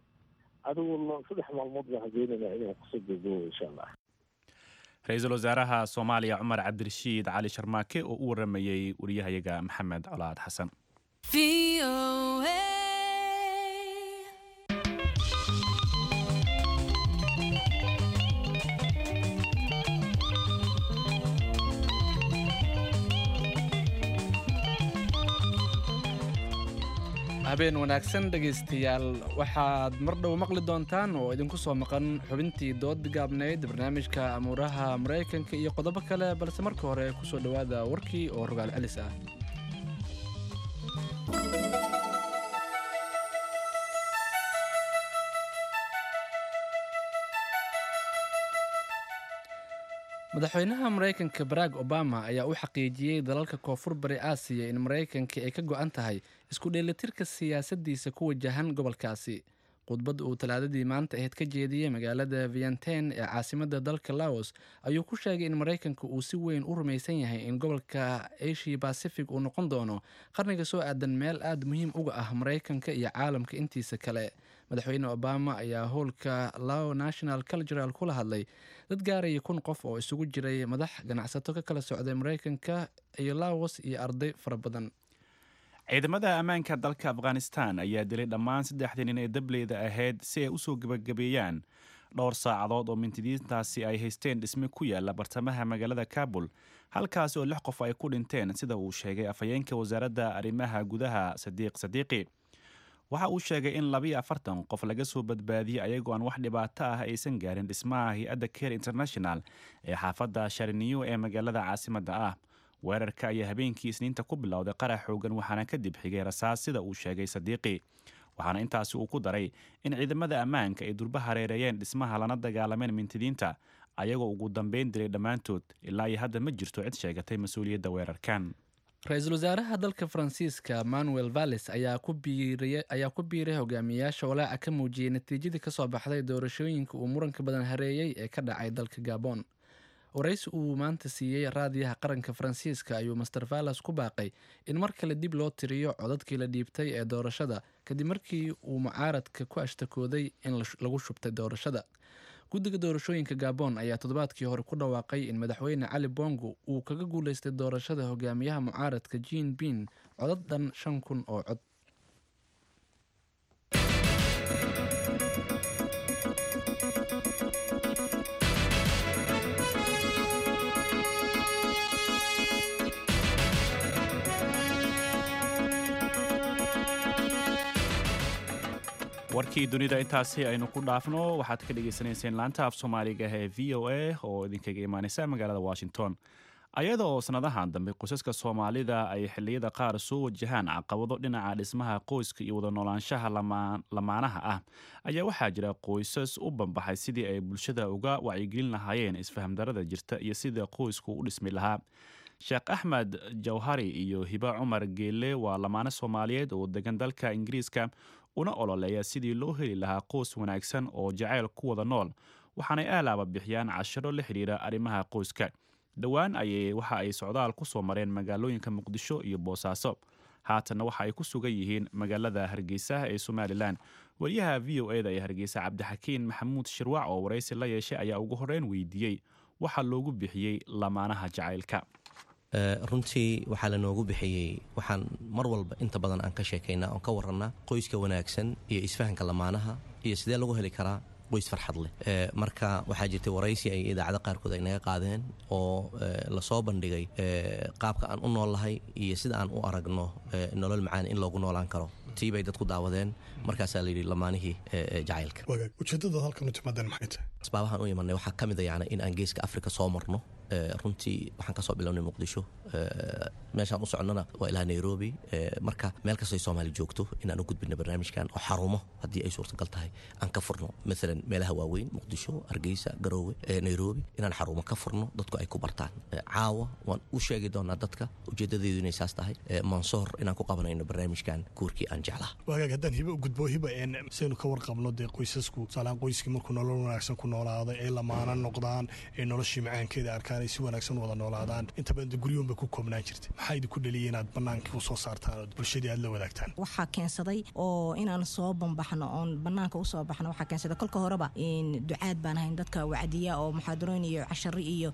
adigu 3 maalmood baan rajeynayna inaan kusoo gabgabo insha Allah. Ra-iisul wasaaraha Soomaaliya Cumar Cabdirashiid Cali Sharmaake oo u waramayey wariyahayaga Maxamed Colaad Xasan. VOA. Habeen wanaagsan dhegaystayaal. Waxaad mar dhow maqli doontaan oo idinku soo maqan xubintii dood gaabnayd, barnaamijka amuuraha Maraykanka iyo qodobo kale, balse marka hore kusoo dhowaada warkii oo rogaal celis ah. Madaxweynaha Maraykanka Barack Obama ayaa u xaqiijiyey dalalka Koonfur Bari Aasiya in Maraykanka ay ka go-an tahay isku dheelitirka siyaasadiisa ku wajahan gobolkaasi. Khudbad uu Talaadadii maanta ahayd ka jeediyey magaalada Vientiane ee caasimadda dalka Laos ayuu ku sheegay in Maraykanka uu si weyn u rumaysan yahay in gobolka Asia Pacific uu noqon doono qarniga soo aadan meel aada muhiim uga ah Maraykanka iyo caalamka intiisa kale. Madaxweyne Obama ayaa howlka Lao National Cultural kula hadlay dad gaaraya 1000 qof oo isugu jiray madax, ganacsato ka kala socday Maraykanka iyo Laos iyo arday fara badan. Ciidamada ammaanka dalka Afghanistan ayaa dilay dhammaan saddexdii nin ee dableyda ahayd si ay usoo gebagabeeyaan dhowr saacadood oo mintidiintaasi ay haysteen dhisme ku yaala bartamaha magaalada Kabul, halkaasi oo lix qof ay ku dhinteen, sida uu sheegay afhayeenka wasaaradda arrimaha gudaha Sadiiq Sadiiqi. Waxa uu sheegay in 42 qof laga soo badbaadiyey ayagoo aan wax dhibaato ah aysan gaarin dhismaha hay-adda Care International ee xaafadda Shariniyo ee magaalada caasimadda ah. Weerarka ayaa habeenkii Isniinta ku bilowday qarax xoogan, waxaana kadib xigay rasaas, sida uu sheegay Sadiiqi. Waxaana intaasi uu ku daray in ciidamada ammaanka ay durba hareereeyeen dhismaha lana dagaalameen mintidiinta, ayagoo ugu dambeyn dilay dhammaantood. Ilaa iyo hadda ma jirto cid sheegatay mas-uuliyadda weerarkan. Ra-iisul wasaaraha dalka Faransiiska Manuel Valls ayaa ku biiray hogaamiyayaasha walaaca ka muujiyey natiijadii kasoo baxday doorashooyinka uu muranka badan hareeyey ee ka dhacay dalka Gabon. Waraysi uu maanta siiyey raadiyaha qaranka Faransiiska ayuu Mister Valls ku baaqay in mar kale dib loo tiriyo codadkii la dhiibtay ee doorashada, kadib markii uu mucaaradka ku ashtakooday in lagu shubtay doorashada. Guddiga doorashooyinka Gabon ayaa toddobaadkii hore ku dhawaaqay in Madaxweyne Cali Bongo uu kaga guuleystay doorashada hogaamiyaha mucaaradka Jean Ping codad dhan 5000 oo cod. Warkii dunida intaasi aynu ku dhaafno. Waxaad ka dhagaysanayseen laanta af Soomaaliga ee VOA oo idinkaga imaaneysa magaalada Washington. Ayada oo sannadahan dambe qoysaska Soomaalida ay xilliyada qaar soo wajahaan caqabado dhinaca dhismaha qoyska iyo wada noolaanshaha lamaanaha ah, ayaa waxaa jira qoysas u banbaxay sidii ay bulshada uga wacyigelin lahaayeen isfahamdarada jirta iyo sida qoysku u dhismi lahaa. Sheekh Axmed Jawhari iyo Hiba Cumar Geelle waa lamaane Soomaaliyeed oo degan dalka Ingiriiska, una ololeeya sidii loo heli lahaa qoys wanaagsan oo jacayl ku wada nool, waxaanay aalaaba bixiyaan cashiro la xidhiira arrimaha qoyska. Dhowaan ayay waxa ay socdaal ku soo mareen magaalooyinka Muqdisho iyo Boosaaso, haatanna waxa ay ku sugan yihiin magaalada Hargeysa ee Somalilan. Wariyaha VOA-da ee Hargeysa, Cabdixakiin Maxamuud Shirwac, oo waraysi la yeeshay ayaa ugu horreyn weydiiyey waxaa loogu bixiyey lamaanaha jacaylka. Runtii waxaa lanoogu bixiyey, waxaan mar walba inta badan aan ka sheekaynaa oon ka warannaa qoyska wanaagsan iyo isfahanka lamaanaha iyo sidee lagu heli karaa qoys farxad leh. Marka waxaa jirtay waraysi ay idaacado qaarkood ay naga qaadeen oo lasoo bandhigay qaabka aan u noolnahay iyo sida aan u aragno nolol macaan in loogu noolaan karo. Tii bay dadku daawadeen, markaasaa layidhi lamaanihii jacaylka. Ujeedadaad halkan u timaadeen maxay tahay? Asbaabahaan u imanay waxaa ka mid a yani in aan Geeska Afrika soo marno. Runtii waxaan kasoo bilownay Muqdisho, meeshaan u soconnana waa ilaa Nairobi. Marka meel kastoy Soomaali joogto inaan u gudbino barnaamijkan oo xarumo haddii ay suurtagal tahay aan ka furno, maalan meelaha waaweyn, Muqdisho, Hargeysa, Garoowe, Nairobi, inaan xarumo ka furno dadku ay ku bartaan. Caawa waan u sheegi doonaa dadka ujeedadeedu inay saas tahay, Mansoor inaan ku qabanayno barnaamijkan guurkii aan jeclaa. Wagaag, haddaan Hibo u gudbo. Hiba, saynu ka warqabno dee qoysasku, tusaalehaan qoyskii markuu nolol wanaagsan ku noolaado, ay lamaana noqdaan, ay noloshii macaankeeda arkaan, ay si wanaagsan wada noolaadaan, inta badan dee guryuun bay ku koobnaan jirtay. Maxaa idinku dhaliyay inaad bannaankii u soo saartaan oo bulshadii aad la wadaagtaan? Waxaa keensaday oo inaan soo bambaxno oon banaanka usoo baxno waxaa keensaday, kolka horeba ducaad baan ahayn, dadka wacdiya oo muxaadarooyin iyo cashari iyo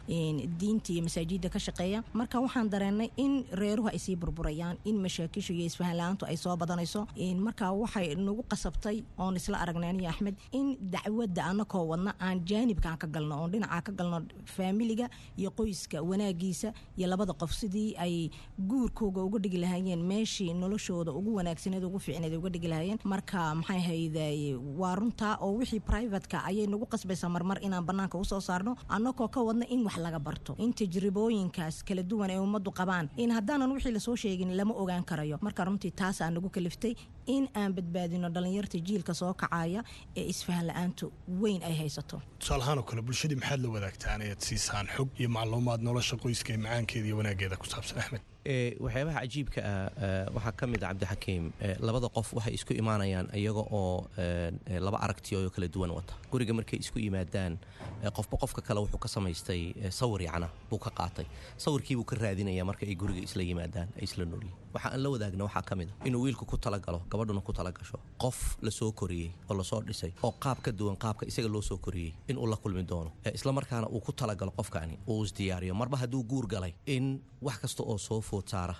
diinta iyo masaajidda ka shaqeeya. Marka waxaan dareennay in reeruhu ay sii burburayaan, in mashaakishu iyo isfahan la-aantu ay soo badanayso. Marka waxay nagu qasabtay oon isla aragnay aniyo Axmed in dacwadda anakoo wadna aan jaanibkaan ka galno oon dhinacaa ka galno faamiliga iyo qoyska wanaagiisa iyo labada qof sidii ay guurkooga uga dhigi lahaayeen meeshii noloshooda ugu wanaagsaneed, ugu fiicneed uga dhigi lahaayeen. Marka maxay hayday, waa runtaa oo wixii privateka ayay nagu qasbaysaa marmar inaan banaanka usoo saarno, annagoo ka wadna in wax laga barto, in tajribooyinkaas kala duwan ay ummaddu qabaan, in haddaanan wixii lasoo sheegin lama ogaan karayo. Marka runtii taasaa nagu kaliftay in aan badbaadino dhalinyarta jiilka soo kacaya ee isfahan la-aantu weyn ay haysato. Tusaale ahaan oo kale, bulshadii maxaad la wadaagtaan ayaad siisaan xog iyo macluumaad nolosha qoyska ee macaankeeda iyo wanaageeda ku saabsan, Axmed? Waxyaabaha cajiibka ah waxaa ka mid a, Cabdixakiim, labada qof waxay isku imaanayaan iyaga oo laba aragtiyo kala duwan wata. Guriga markay isku yimaadaan, qofba qofka kale wuxuu ka samaystay sawir, yacna buu ka qaatay, sawirkii buu ka raadinaya. Marka ay guriga isla yimaadaan ay isla noolyihin, waxa aan la wadaagna waxaa ka mid a inuu wiilku ku talagalo, gabadhuna ku talagasho qof lasoo koriyey oo lasoo dhisay oo qaab ka duwan qaabka isaga loo soo koriyey inuu la kulmi doono, isla markaana uu ku talagalo qofkaani, uu isdiyaariyo marba hadduu guur galay in wax kasta oo soo food saara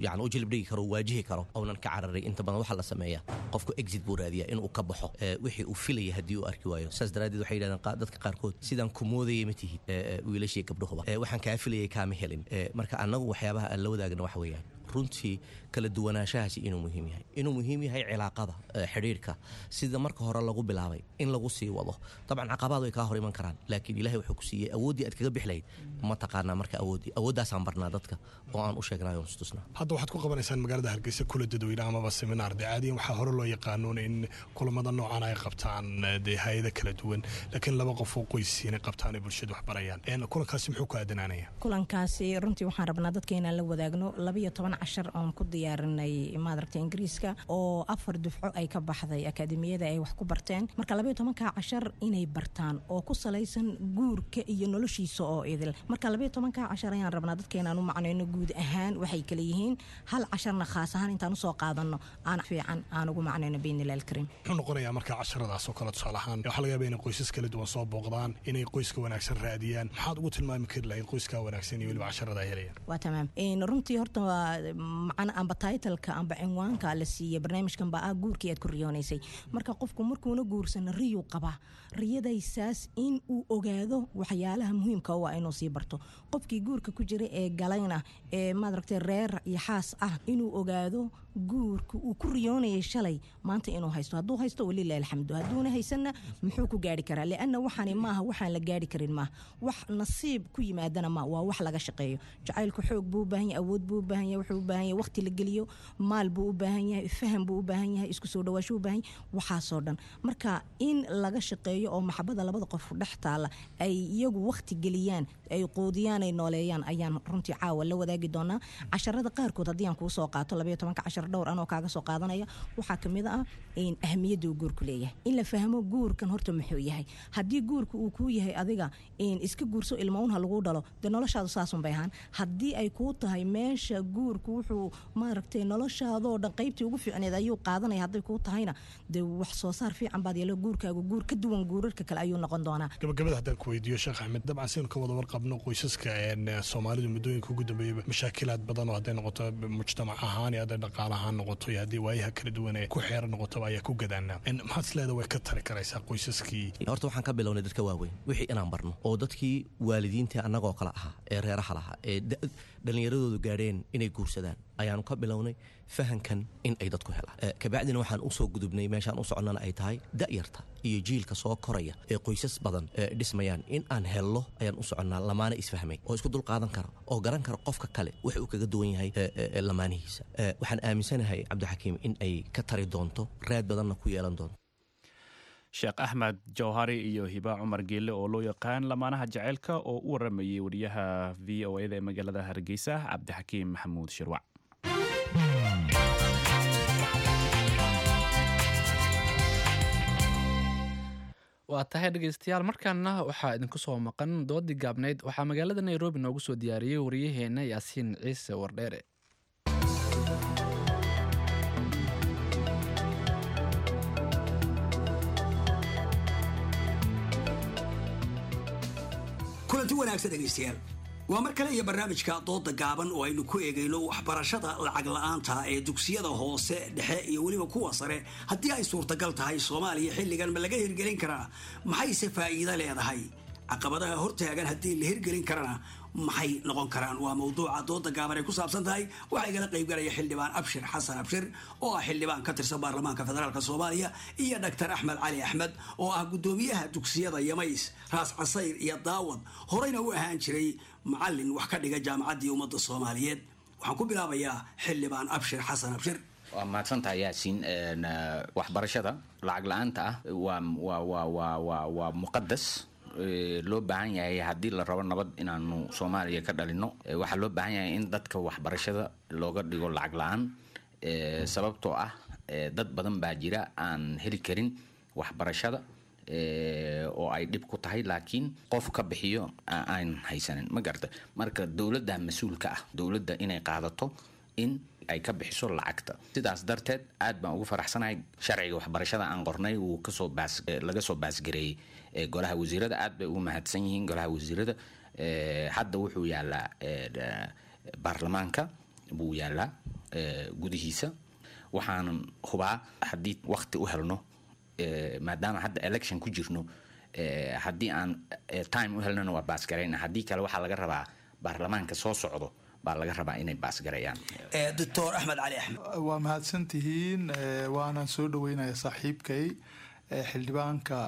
yani u jilib dhigi karo, waajihi karo, uunan ka cararay. Inta badan waxaa la sameeyaa qofku exit buu raadiyaa inuu ka baxo wixii uu filaya haddii uu arki waayo. Saas daraaddeed waxay yidhahdeen dadka qaarkood, sidaan ku moodayay ma tihid, wiilashii gabdhahuba, waxaan kaa filayay kaama helin. Marka annagu waxyaabaha aan la wadaagna waxa weeyaan runtii kala duwanaanshahaasi inuu muhiim yahay, inuu muhiim yahay cilaaqada, xidhiidhka sida marka hore lagu bilaabay in lagu sii wado. Dabcan caqabaad way kaa hor iman karaan, laakiin Ilahay wuxuu ku siiyey awooddii aad kaga bixi lahayd ma taqaanaa? Marka awooddii, awooddaasaan barnaa dadka oo aan u sheegnay oon istusnaa. Hadda waxaad ku qabanaysaan magaalada Hargeysa kula dadweyne amaba seminaar. Dee caadiyan waxaa hore loo yaqaanuun in kulamada noocan ay qabtaan dee hay-ada kala duwan, laakiin laba qof oo qoysiina qabtaan ay bulshada wax barayaan. Kulankaasi muxuu ku aadanaanaya? Kulankaasi runtii waxaan rabnaa dadka inaan la wadaagno 12 cashar oon ku diyaarinay maadaragta Ingiriiska oo afar dufco ay ka baxday akaademiyada ay wax ku barteen. Marka 12-ka cashar inay bartaan oo ku salaysan guurka iyo noloshiisa oo idil. Marka 12-ka cashar ayaan rabnaa dadka inaan u macnayno guud ahaan waxay kala yihiin, hal casharna khaas ahaan intaan usoo qaadano aan fiican aan ugu macnayno biidnillahi alkariim. Muxuu noqonayaa marka casharadaas oo kale? Tusaale ahaan waxaa laga yaabaa inay qoysas kala duwan soo booqdaan, inay qoyska wanaagsan raadiyaan. Maxaad ugu tilmaami kari lahayd qoyska wanaagsan iyo weliba casharada ay helayaan? Waa tamaam. Runtii horta waa macna amba titleka amba cinwaanka la siiyey barnaamijkan baa ah guurkii aad ku riyoonaysay. Marka qofku markuuna guursana riyuu qabaa, riyadaysaas in uu ogaado waxyaalaha muhiimka u ah inuu sii barto. Qofkii guurka ku jira ee galayna ee maadaragtay reer iyo xaas ah inuu ogaado Guurka uu ku riyoonayay shalay maanta inuu haysto, hadduu haysto walilahi alxamdu, hadduuna haysanna muxuu ku gaari karaa? Lianna waxaani maaha waxaan la gaari karin, maaha wax nasiib ku yimaadana, ma waa wax laga shaqeeyo. Jacaylku xoog buu u baahan yahay, awood buu u baahan yahay, wuxuu u baahan yahay waqti la geliyo, maal buu u baahan yahay, faham buu u baahan yahay, isku soo dhawaasho u baahan yahay, waxaasoo dhan. Marka in laga shaqeeyo oo maxabada labada qof dhex taala ay iyagu waqti geliyaan, ay quudiyaan, ay nooleeyaan ayaan runtii caawa la wadaagi doonaa casharada qaarkood. Haddii aan kuu soo qaato 12-ka cashar, dhowr anoo kaaga soo qaadanaya, waxaa kamid ah in ahmiyadda uu guurku leeyahay, in la fahmo guurkan horta muxuu yahay. Haddii guurka uu kuu yahay adiga in iska guurso, ilma un ha lagu dhalo, dee noloshaadu saasun bay ahaan. Haddii ay kuu tahay meesha guurku wuxuu maaragtay noloshaadoo dhan qaybtii ugu fiicneed ayuu qaadanaya, hadday kuu tahayna dee wax soo saar fiican baad yeelo, guurkaagu guur ka duwan guurarka kale ayuu noqon doonaa. Gabagabada haddaan ku weydiiyo, Sheekh Axmed, dabcan saynu ka wada warqabno qoysaska Soomaalidu muddooyinka ugu dambeeyaba mashaakilaad badan oo hadday noqoto mujtamac ahaan iyo hadday dhaqaale ahaan noqoto iyo haddii waayaha kala duwan ee ku xeeran noqotoba ayaa ku gadaanaa. Maxaad is leedahay way ka tari karaysaa qoysaskii? Horta waxaan ka bilownay dadka waaweyn wixii inaan barno, oo dadkii waalidiinta annagoo kale ahaa ee reeraha lahaa ee dhallinyaradoodu gaadheen inay guursadaan ayaanu ka bilownay fahankan in ay dadku helaan. Kabacdina waxaan usoo gudubnay meeshaan u soconnana ay tahay da'yarta iyo jiilka soo koraya ee qoysas badan dhismayaan in aan hello ayaan u soconnaa, lamaana isfahmay oo isku dul qaadan kara oo garan kara qofka kale wax uu kaga duwan yahay lamaanihiisa. Waxaan aaminsanahay, Cabdixakiim, in ay ka tari doonto, raad badanna ku yeelan doonto. Sheekh Axmed Jawhari iyo Hiba Cumar Geelle oo loo yaqaan Lamaanaha Jaceylka oo u waramayay wariyaha VOA da ee magaalada Hargeysa, Cabdixakiim Maxamuud Shirwac. Waa tahay dhegeystayaal, markaana waxaa idinku soo maqan doodii gaabnayd. Waxaa magaalada Nairobi noogu soo diyaariyey wariyaheena Yaasiin Ciise Wardheere. Kulanti wanaagsan dhegaystayaal, waa mar kale iyo barnaamijka dooda gaaban oo aynu ku eegayno waxbarashada lacag la'aanta ee dugsiyada hoose, dhexe iyo weliba kuwa sare. Haddii ay suurtagal tahay, Soomaaliya xilligan ma laga hirgelin karaa? Maxayse faa'iido leedahay? Caqabadaha hortaagan haddii la hirgelin karana maxay noqon karaan? Waa mawduuca dooda gaaban ay ku saabsan tahay. Waxaa igala qaybgalaya xildhibaan Abshir Xasan Abshir oo ah xildhibaan ka tirsan baarlamaanka federaalk Soomaaliya iyo Dhaktar Axmed Cali Axmed oo ah guddoomiyaha dugsiyada Yamays, Raas Casayr iyo Daawad, horeyna u ahaan jiray macalin wax ka dhiga Jaamacaddii Ummadda Soomaaliyeed. Waxaan ku bilaabayaa xildhibaan Abshir Xasan Abshir. Waa mahadsantahay Yaasiin. Waxbarashada lacag la-aanta ah waa muqadas loo baahan yahay haddii la rabo nabad inaanu Soomaaliya ka dhalino. Waxaa loo baahan yahay in dadka waxbarashada looga dhigo lacag la-aan, sababtoo ah dad badan baa jira aan heli karin waxbarashada oo ay dhib ku tahay, laakiin qof ka bixiyo aan haysanin, ma garata? Marka dowladda mas-uulka ah, dowladda inay qaadato in ay ka bixiso lacagta. Sidaas darteed aad baan ugu faraxsanahay sharciga waxbarashada aan qornay wuu kasoo baas laga soo baasgareeyey golaha wasiirada. Aad bay ugu mahadsan yihiin golaha wasiirada. Hadda wuxuu yaalaa baarlamaanka buu yaalaa gudihiisa. Waxaanan hubaa haddii waqti u helno, maadaama hadda election ku jirno, haddii aan time u helnona waa baasgarayna, haddii kale waxaa laga rabaa baarlamaanka soo socdo baa laga rabaa inay baasgareeyaan. Doctor Axmed Cali Axmed. Waa mahadsantihiin, waanaan soo dhaweynaya saaxiibkay xildhibaanka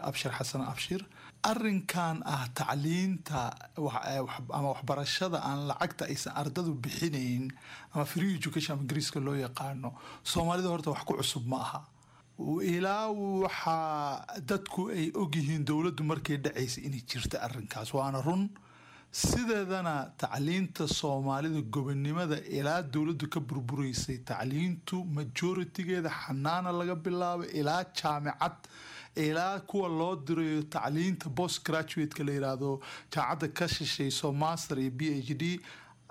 Abshir Xasan Abshir. Arinkan ah tacliinta ama waxbarashada aan lacagta aysan ardadu bixinayn ama free education ama Ingiriiska loo yaqaano, Soomaalida horta wax ku cusub ma aha. Ilaa waxaa dadku ay ogyihiin dowladdu markay dhacaysa inay jirta arrinkaas, waana run. Sideedana tacliinta Soomaalida gobonimada ilaa dowladdu ka burburaysay, tacliintu majoritigeeda xanaana laga bilaabo ilaa jaamicad, ilaa kuwa loo dirayo tacliinta post graduate-ka la yiraahdo, jaamacadda ka shishayso, master iyo PhD,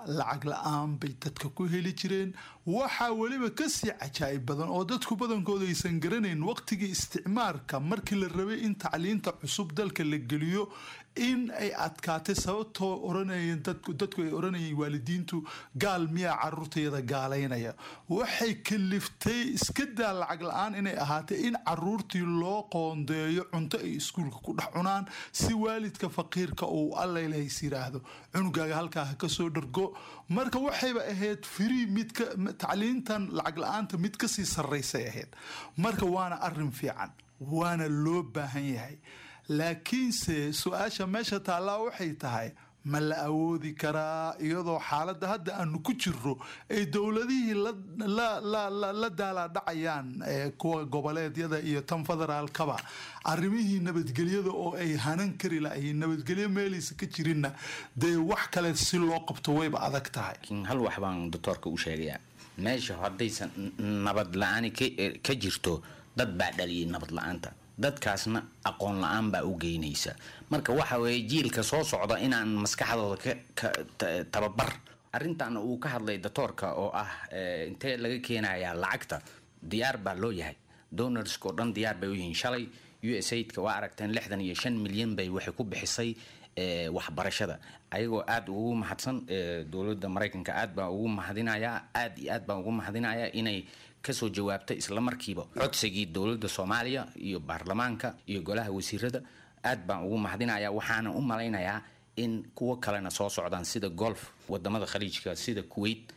lacag la-aan bay dadka ku heli jireen. Waxaa weliba kasii cajaa'ib badan oo dadku badankooda aysan garanayn, waqtigii isticmaarka markii la rabay in tacliinta cusub dalka la geliyo in ay adkaatay, sababtoo oranayeen dadku ay oranayeen waalidiintu, "Gaal miyaa caruurtayada gaalaynaya?" Waxay kaliftay, iska daa lacag la-aan inay ahaatay, in caruurtii loo qoondeeyo cunto ay iskuulka ku dhex cunaan, si waalidka faqiirka uu allaylahays yiraahdo cunugaaga halkaa ha kasoo dhargo. Marka waxayba ahayd free midka Tacliintan lacag la-aanta mid kasii sarreysay ahayd. Marka waana arin fiican, waana loo baahan yahay, laakiinse su-aasha meesha taallaa waxay tahay: ma la awoodi karaa, iyadoo xaaladda hadda aanu ku jirro ay dowladihii la daalaadhacayaan, kuwa goboleedyada iyo tan federaalkaba, arrimihii nabadgelyada oo ay hanan kari lahayiin, nabadgelyo meelaysa ka jirinna, dee wax kale si loo qabto wayba adag tahay. Laakiin hal wax baan doctoorka u sheegayaa: meesha haddaysan nabad la-aani ka jirto, dad baa dhaliyay nabad la-aanta, dadkaasna aqoon la-aan baa u geynaysa. Marka waxa weeye jiilka soo socda inaan maskaxdooda ka tababar. Arrintan uu ka hadlay doctoorka oo ah intee laga keenayaa lacagta, diyaar baa loo yahay. Donorska oo dhan diyaar bay u yihiin. Shalay USAID-ka waa aragteen, 65 milyan bay waxay ku bixisay waxbarashada, ayagoo aada ugu mahadsan dowladda Maraykanka. Aad baan ugu mahadinayaa, aad iyo aad baan ugu mahadinayaa inay kasoo jawaabtay isla markiiba codsigii dowladda Soomaaliya iyo baarlamaanka iyo golaha wasiirada. Aad baan ugu mahadinayaa. Waxaana u malaynayaa in kuwo kalena soo socdaan, sida Gulf, wadamada Khaliijka, sida Kuwait.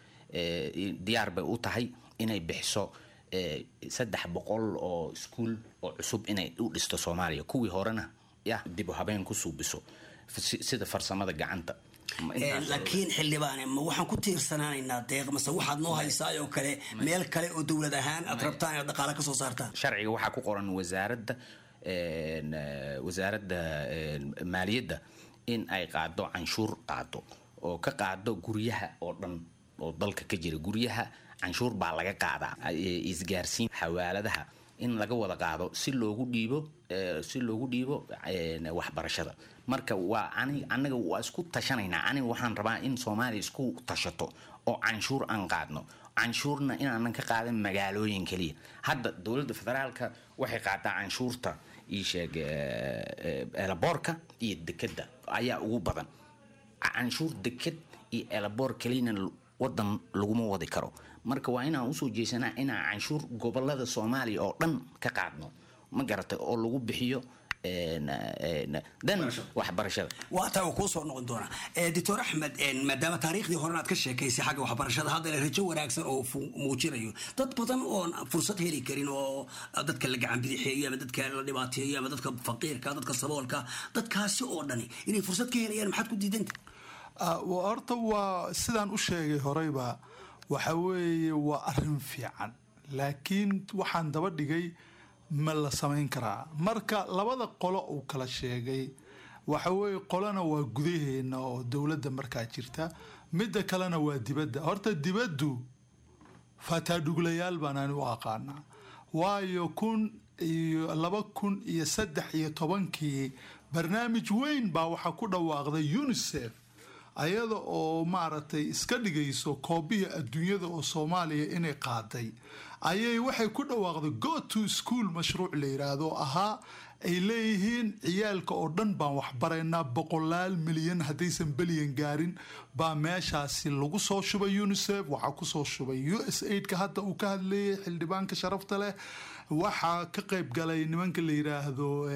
Diyaar bay u tahay inay bixiso 300 oo iskuul oo cusub inay u dhisto Soomaaliya, kuwii horena ya dib u habeen ku suubiso sida farsamada gacanta. Laakiin xildhibaane, ma waxaan ku tiirsanaanaynaa deeq, mase waxaad noo haysaa oo kale meel kale oo dowlad ahaan aad rabtaan inaad dhaqaale kasoo saartaan? Sharciga waxaa ku qoran wasaaradda maaliyadda in ay qaado canshuur, qaado oo ka qaado guryaha oo dhan oo dalka ka jira. Guryaha canshuur baa laga qaadaa, isgaarsiin, xawaaladaha, in laga wada qaado si loogu dhiibo waxbarashada. Marka waa ani anaga waa isku tashanaynaa. Aniga waxaan rabaa in Soomaaliya isku tashato oo canshuur aan qaadno, canshuurna inaanan ka qaadan magaalooyin keliya. Hadda dowladda federaalka waxay qaadaa canshuurta, ii sheeg, airportka iyo dekeda ayaa ugu badan canshuur. Deked iyo airport keliyana wadan laguma wadi karo. Marka waa inaan usoo jeesanaa inaan canshuur gobolada Soomaaliya oo dhan ka qaadno, ma garatay, oo lagu bixiyo dan waxbarashada. Waa taa, uu kuu soo noqon doonaa, Doctor Axmed. Maadaama taariikhdii horena aad ka sheekaysay xagga waxbarashada, haddana rajo wanaagsan oo muujinayo dad badan oon fursad heli karin, oo dadka la gacan bidixeeyo ama dadka la dhibaateeyo ama dadka faqiirka, dadka saboolka, dadkaasi oo dhani inay fursad ka helayaan, maxaad ku diidanta? Horta waa sidaan u sheegay horeyba, waxa weeye waa arrin fiican, laakiin waxaan daba dhigay: ma la samayn karaa? Marka labada qolo uu kala sheegay, waxa weeye qolona waa gudaheena oo dowladda markaa jirta, midda kalena waa dibadda. Horta dibaddu fataadhuglayaal baan ani u aqaanaa, waayo 2013-kii barnaamij weyn baa waxaa ku dhawaaqday UNICEF, ayada oo maaragtay iska dhigayso koobihii adduunyada oo Soomaaliya inay qaaday, ayay waxay ku dhawaaqday Go to School, mashruuc la yiraahdo ahaa, ay leeyihiin ciyaalka oo dhan baan waxbaraynaa. Boqolaal milyan, haddaysan bilyan gaarin, baa meeshaasi lagu soo shubay. UNICEF waxaa kusoo shubay USAID-ka hadda uu ka hadleeyay xildhibaanka sharafta leh, waxaa ka qayb galay nimanka la yiraahdo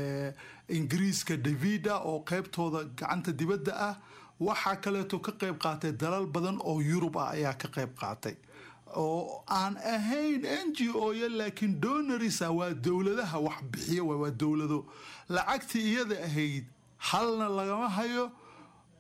Ingiriiska, Davida, oo qeybtooda gacanta dibadda ah. Waxaa kaleeto ka qayb qaatay dalal badan oo Yurub ah ayaa ka qayb qaatay, oo aan ahayn NGO ya, laakiin donors ah, waa dowladaha wax bixiya, waa dowlado. Lacagtii iyada ahayd halna lagama hayo.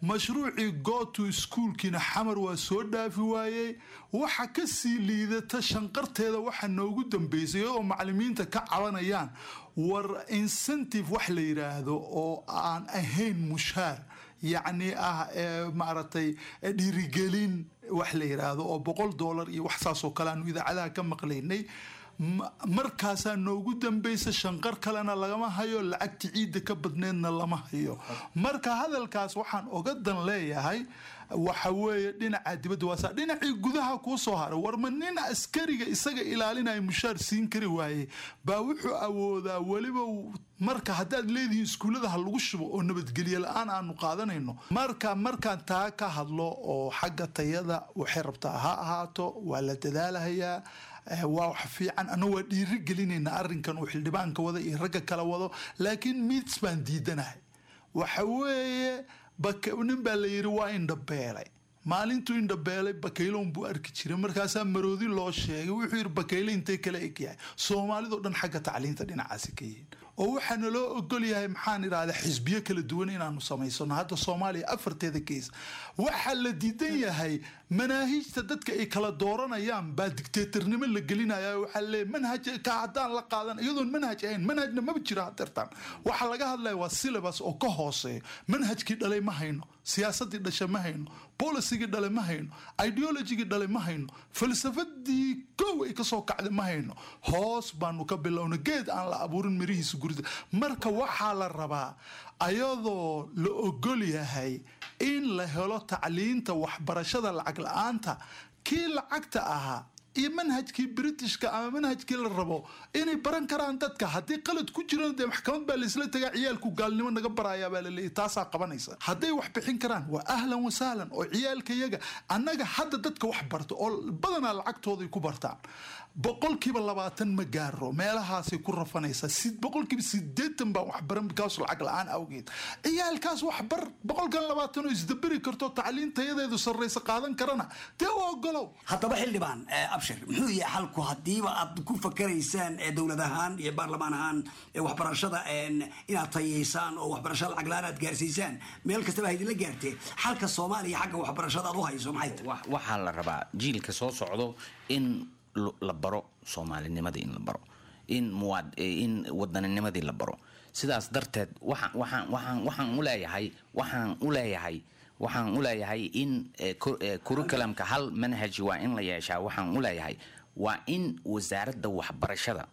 Mashruucii Go to Schoolkiina Xamar waa soo dhaafi waayey. Waxa kasii liidata shanqarteeda waxa noogu dambeysay, iyagoo macalimiinta ka cabanayaan, war incentive wax la yiraahdo oo aan ahayn mushaar, yacni ah maaragtay dhiirigelin wax la yiraahdo oo $100 iyo wax saas oo kale aanu idaacadaha ka maqlaynay. Markaasaa noogu dambeysa, shanqar kalena lagama hayo, lacagti ciidda ka badneedna lama hayo. Marka hadalkaas waxaan oga dan leeyahay waxa weeye dhinaca dibadda waasa, dhinacii gudaha kuu soo haray. War ma nin askariga isaga ilaalinaya mushaar siin kari waaye baa wuxuu awoodaa weliba? Marka haddaad leedihiin iskuullada ha lagu shubo oo nabadgelyo la-aan aanu qaadanayno, marka markaan taa ka hadlo oo xagga tayada waxay rabtaa ha ahaato, waa la dadaalahayaa, waa wax fiican, anna waa dhiiri gelinaynaa arrinkan uu xildhibaanka wada iyo ragga kale wado. Laakiin mids baan diidanahay, waxa weeye nin baa la yidhi waa indhabeelay. Maalintuu indhabeelay bakayloon buu arki jiray. Markaasaa maroodi loo sheegay, wuxuu yidhi bakayle intee kala egyahay. Soomaalidoo dhan xagga tacliinta dhinacaasi ka yihiin, oo waxaa naloo ogol yahay, maxaan idhahdaa, xisbiyo kala duwan inaanu samaysano. Hadda Soomaaliya afarteeda gees waxaa la diidan yahay manaahijta dadka ay kala dooranayaan baa dictatornimo la gelinaya. Waxaa leeyahay manhaj ka haddaan la qaadan, iyadoon manhaj ahayn, manhajna maba jiro hadeertaan. Waxaa laga hadlaya waa syllabus oo ka hooseeyo. Manhajkii dhalay ma hayno, siyaasadii dhasha ma hayno, policygii dhale ma hayno, ideologygii dhale ma hayno, falsafadii kow ay kasoo kacday ma hayno. Hoos baanu ka bilowna, geed aan la abuurin mirihiisa gurida. Marka waxaa la rabaa, ayadoo la ogol yahay in la helo tacliinta waxbarashada lacag la-aanta, kii lacagta ahaa iyo manhajkii Britishka ama manhajkii la rabo inay baran karaan dadka. Haddii qalad ku jirana dee maxkamad baa laisla tagaa. Ciyaalku gaalnimo naga barayaa baa laleeyahy, taasaa qabanaysa. Hadday wax bixin karaan waa ahlan wasahlan, oo ciyaalka yaga annaga hadda dadka wax barto oo badanaa lacagtooday ku bartaan, 20% ma gaaro, meelahaasay ku rafanaysaa. 80% baan waxbaran bikaas lacag la-aan awgeed. Ciyaalkaas waxbar 20% oo isdaberi karto, tacliin tayadeedu sarraysa qaadan karana dee u ogolow. Haddaba xildhibaan Abshir, muxuu yahay xalku haddiiba aad ku fakaraysaan dowlad ahaan iyo baarlamaan ahaan waxbarashada inaad tayeysaan oo waxbarashada lacag la-aan aad gaarsiisaan meel kastaba ha idinla gaartee, xalka Soomaaliya xagga waxbarashada aad u hayso maxay tahay? Waxaa la rabaa jiilka soo socdo in la baro soomaalinimadii, in la baro in muwaad in wadaninimadii la baro. Sidaas darteed waxaan u leeyahay in curriculumka hal manhaj waa in la yeeshaa. Waxaan u leeyahay waa in wasaaradda waxbarashada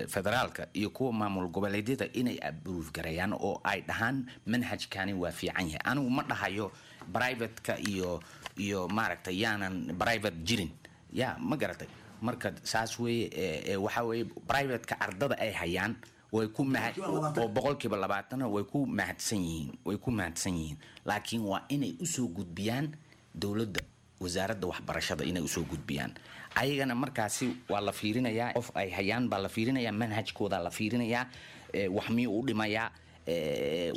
federaalka iyo kuwa maamul goboleedyada inay approve gareeyaan oo ay dhahaan manhajkani waa fiican yahay. Anigu ma dhahayo privateka iyo maaragtay yaanan private jirin, ya ma garatay? Marka saas weeye. Waxaa weeye privateka ardada ay hayaan way ku oo 20%na way ku mahadsan yihiin, way ku mahadsan yihiin, laakiin waa inay usoo gudbiyaan dowladda, wasaaradda waxbarashada inay usoo gudbiyaan. Ayagana markaasi waa la fiirinayaa, qof ay hayaan baa la fiirinayaa, manhajkooda la fiirinayaa, wax miyuu u dhimayaa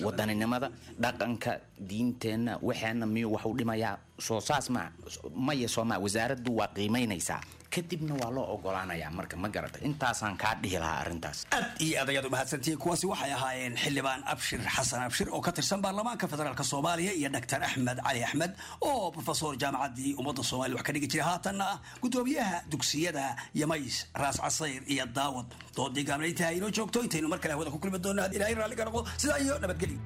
wadaninimada, dhaqanka, diinteenna, waxeena miyuu wax u dhimayaa? Soo saas ma maya sooma wasaaraddu waa qiimeynaysaa, kadibna waa loo ogolaanayaa. Marka ma garata, intaasaan kaa dhihi lahaa arrintaas. Aad iyo aad ayaad umahadsantihiin. Kuwaasi waxay ahaayeen xildhibaan Abshir Xasan Abshir oo ka tirsan baarlamaanka federaalk Soomaaliya iyo Dr Axmed Cali Axmed oo profesor jaamacaddii Ummadda Soomaaliya wax ka dhigi jiray, haatanna ah gudoomiyaha dugsiyada Yamays, Raas Casayr iyo Daawad. Doodii gaabnayntaha inoo joogto intaynu mar kale hawada ku kulmi doonno, Ilaahay raalliga noqdo, sidaa iyo nabadgelyo.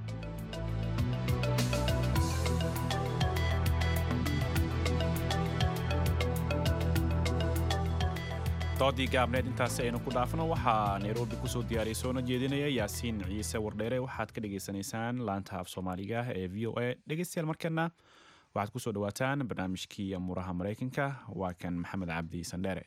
Doodii gaabneed intaasi aynu ku dhaafno. Waxaa Nairobi kusoo diyaariyay soona jeedinaya Yaasiin Ciise Wardheere. Waxaad ka dhagaysanaysaan laanta af Soomaaliga ee VOA. Dhegeystayaal, markana waxaad kusoo dhawaataan barnaamijkii amuuraha Maraykanka. Waa kan Maxamed Cabdi Sandheere.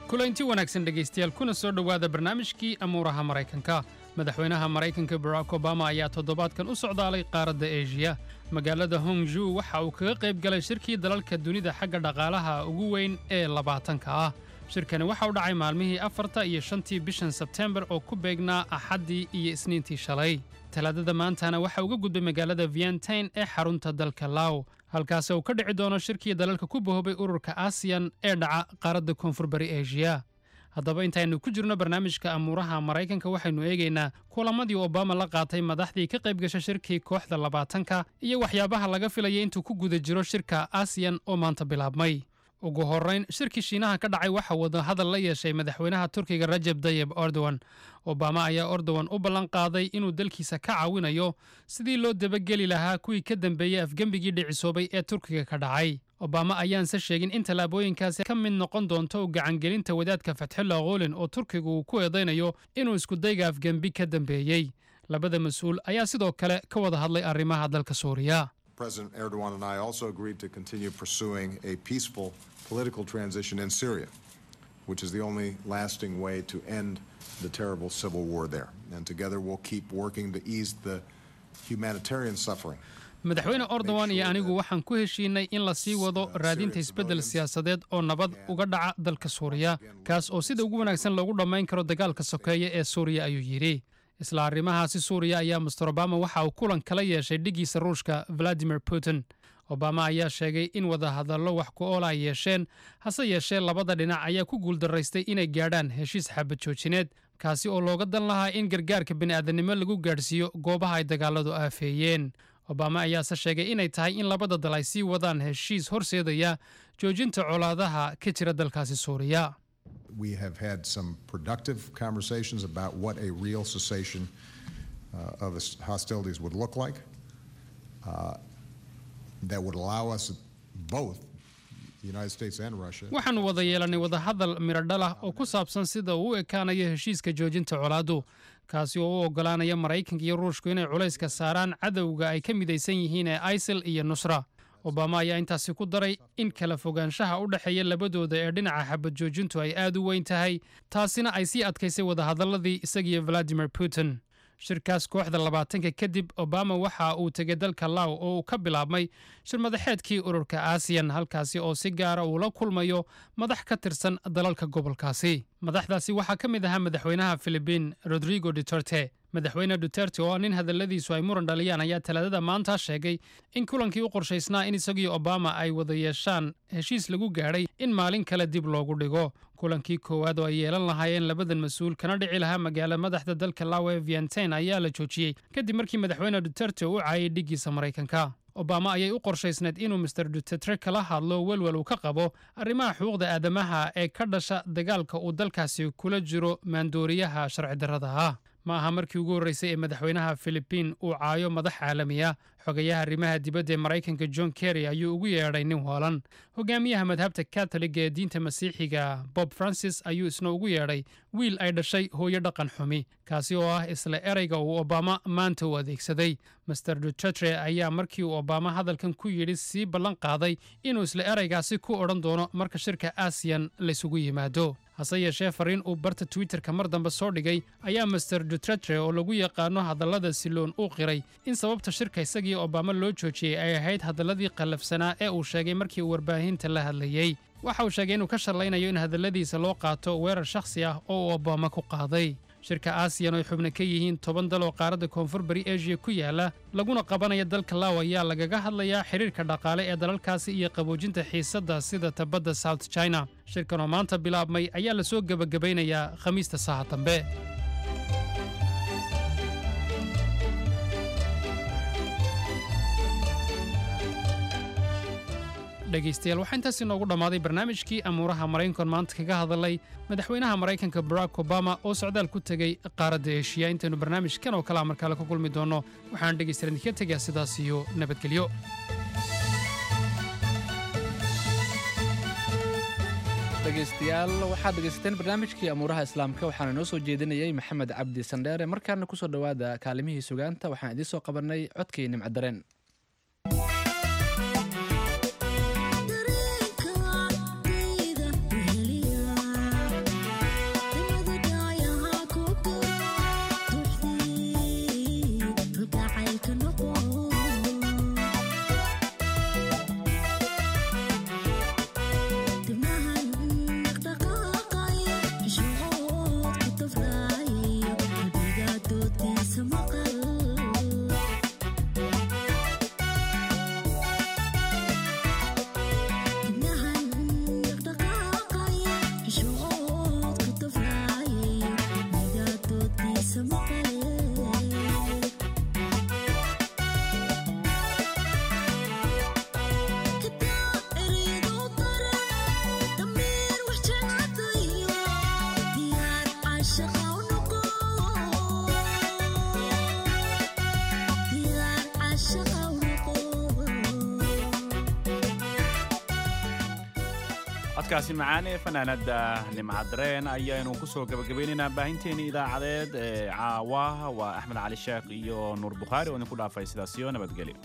Kulanti wanaagsan dhegaystayaal, kuna soo dhowaada barnaamijkii amuuraha Maraykanka. Madaxweynaha Maraykanka Barack Obama ayaa toddobaadkan u socdaalay qaaradda Eshiya. Magaalada Hongju waxa uu kaga qayb galay shirkii dalalka dunida xagga dhaqaalaha ugu weyn ee 20-ka ah. Shirkani waxa u dhacay maalmihii 4-ta iyo 5-tii bishan Sebteembar oo ku beegnaa Axaddii iyo Isniintii shalay. Talaadada maantana waxa uga gudbay magaalada Vientain ee xarunta dalka Law, halkaasi uu ka dhici doono shirkii dalalka ku bahoobay ururka ASEAN ee dhaca qaaradda Koonfur Bari Eshiya. Haddaba intaynu ku jirno barnaamijka amuuraha Maraykanka, waxaynu eegaynaa kulamadii Obama la qaatay madaxdii ka qayb gasha shirkii kooxda 20-ka iyo waxyaabaha laga filayay intuu ku guda jiro shirka ASEAN oo maanta bilaabmay. Ugu horrayn, shirkii Shiinaha ka dhacay waxa wada hadal la yeeshay madaxweynaha Turkiga Rajeb Dayeb Erdogan. Obama ayaa Erdogan u ballan qaaday inuu dalkiisa ka caawinayo sidii loo dabageli lahaa kuwii ka dambeeyey afgembigii dhicisoobay ee Turkiga ka dhacay. Obama ayaanse sheegin in tallaabooyinkaasi ka mid noqon doonto u gacangelinta wadaadka Fatxullah Gulen oo Turkigu uu ku eedaynayo inuu iskudayga afgembi ka dambeeyey. Labada mas-uul ayaa sidoo kale ka wada hadlay arrimaha dalka Suuriya. President Erdogan and I also agreed to continue pursuing a peaceful political transition in Syria, which is the only lasting way to end the terrible civil war there. And together we'll keep working to ease the humanitarian suffering. Madaxweyne Erdogan iyo anigu waxaan ku heshiinay in la sii wado raadinta isbeddel siyaasadeed oo nabad uga dhaca dalka Suuriya, kaas oo sida ugu wanaagsan loogu dhammayn karo dagaalka sokeeye ee Suuriya, ayuu yidhi. Isla arrimahaasi Suuriya ayaa Mister Obama waxa uu kulan kala yeeshay dhiggiisa Ruushka, Vladimir Putin. Obama ayaa sheegay in wadahadallo wax ku ool ay yeesheen, hase yeeshee labada dhinac ayaa ku guuldaraystay inay gaadhaan heshiis xabad joojineed, kaasi oo looga dan lahaa in gargaarka bini'aadanimo lagu gaadhsiiyo goobaha ay dagaaladu aafeeyeen. Obama ayaase sheegay inay tahay in labada dal ay sii wadaan heshiis horseedaya joojinta colaadaha ka jira dalkaasi Suuriya. We have had some productive conversations about what a real cessation of hostilities would look like that would allow us both, the United States and Russia, Waxaannu wada yeelannay wadahadal miradhal ah oo ku saabsan sida uu u ekaanayo heshiiska joojinta colaaddu, kaasi oo u oggolaanaya Maraykanka iyo Ruushku inay culayska saaraan cadowga ay ka midaysan yihiin ee ISIL iyo Nusra. Obama ayaa intaasi ku daray in kala fogaanshaha u dhexeeya labadooda ee dhinaca xabad joojintu ay aad u weyn tahay, taasina ay sii adkaysay wadahadalladii isagiyo Vladimir Putin. Shirkaas kooxda 20-ka kadib, Obama waxa uu tegay dalka Law oo uu ka bilaabmay shir madaxeedkii ururka ASEAN, halkaasi oo si gaara uu la kulmayo madax ka tirsan dalalka gobolkaasi. Madaxdaasi waxaa ka mid ahaa madaxweynaha Filibiin, Rodrigo Duterte. Madaxweyne Duterte, oo nin hadalladiisu ay muran dhaliyaan, ayaa Talaadada maanta sheegay in kulankii u qorshaysnaa in isagii Obama ay wada yeeshaan heshiis lagu gaadhay in maalin kale dib loogu dhigo. Kulankii koowaad oo ay yeelan lahaayeen labadan mas-uul, kana dhici lahaa magaalo madaxda dalka Law ee Vientiane, ayaa la joojiyey kadib markii madaxweyne Duterte u caayay dhiggiisa Maraykanka. Obama ayay u qorshaysnayd inuu Mister Duterte kala hadlo welwel uu ka qabo arrimaha xuquuqda aadamaha ee ka dhasha dagaalka uu dalkaasi kula jiro maandooriyaha sharci darrada ah. Ma aha markii ugu horreysay ee madaxweynaha Filibiin uu caayo madax caalami ah. Xogayaha arrimaha dibadda ee Maraykanka, John Kerry, ayuu ugu yeedhay nin waalan. Hogaamiyaha madhabta Katoliga ee diinta Masiixiga, Pope Francis, ayuu isna ugu yeedhay wiil ay dhashay hooyo dhaqan xumi, kaasi oo ah isla ereyga uu Obama maanta u adeegsaday. Mister Duterte ayaa markii uu Obama hadalkan ku yidhi sii ballan qaaday inuu isla ereygaasi ku odhan doono marka shirka ASEAN laysugu yimaado. Hase yeeshee, fariin uu barta Twitterka mar dambe soo dhigay ayaa Mister Duterte, oo lagu yaqaano hadallada siloon, u qiray in sababta shirka isagii Obama loo joojiyey ay ahayd hadalladii qallafsanaa ee uu sheegay markii uu warbaahinta la hadlayey. Waxa uu sheegay inuu ka shallaynayo in hadalladiisa loo qaato weerar shakhsi ah oo uu Obama ku qaaday. Shirka ASEAN, oo ay xubno ka yihiin 10 dal oo qaaradda Koonfur Bari Asia ku yaala, laguna qabanaya dalka Law, ayaa lagaga hadlayaa xiriirka dhaqaale ee dalalkaasi iyo qaboojinta xiisadda sida tabadda South China. Shirkan oo maanta bilaabmay ayaa lasoo gebagabaynayaa Khamiista saaha dambe. Dhegaystayaal, waxaa intaas inoogu dhammaaday barnaamijkii amuuraha Maraykanka, maanta kaga hadalay madaxweynaha Maraykanka Barack Obama oo socdaal ku tegey qaaradda Eshiya. Intaynu barnaamijkan oo kalea markaale ku kulmi doonno, waxaan dhegaystayaal idinkaga tegayaa sidaas iyo nabadgelyo. Dhegaystayaal, waxaad dhegaysateen barnaamijkii amuuraha Islaamka, waxaana noo soo jeedinayay Maxamed Cabdi Sandheere. Markaana kusoo dhowaada kaalimihii sugaanta. Waxaan idiin soo qabanay codkii Nimcadareen. Codkaasi macaan ee fanaanada Nimcadareen ayaanu kusoo gabagabeynaynaa baahinteeni idaacadeed ee caawa. Waa Axmed Cali Sheekh iyo Nuur Bukhaari oo idinku dhaafay sidaas iyo nabadgelyo.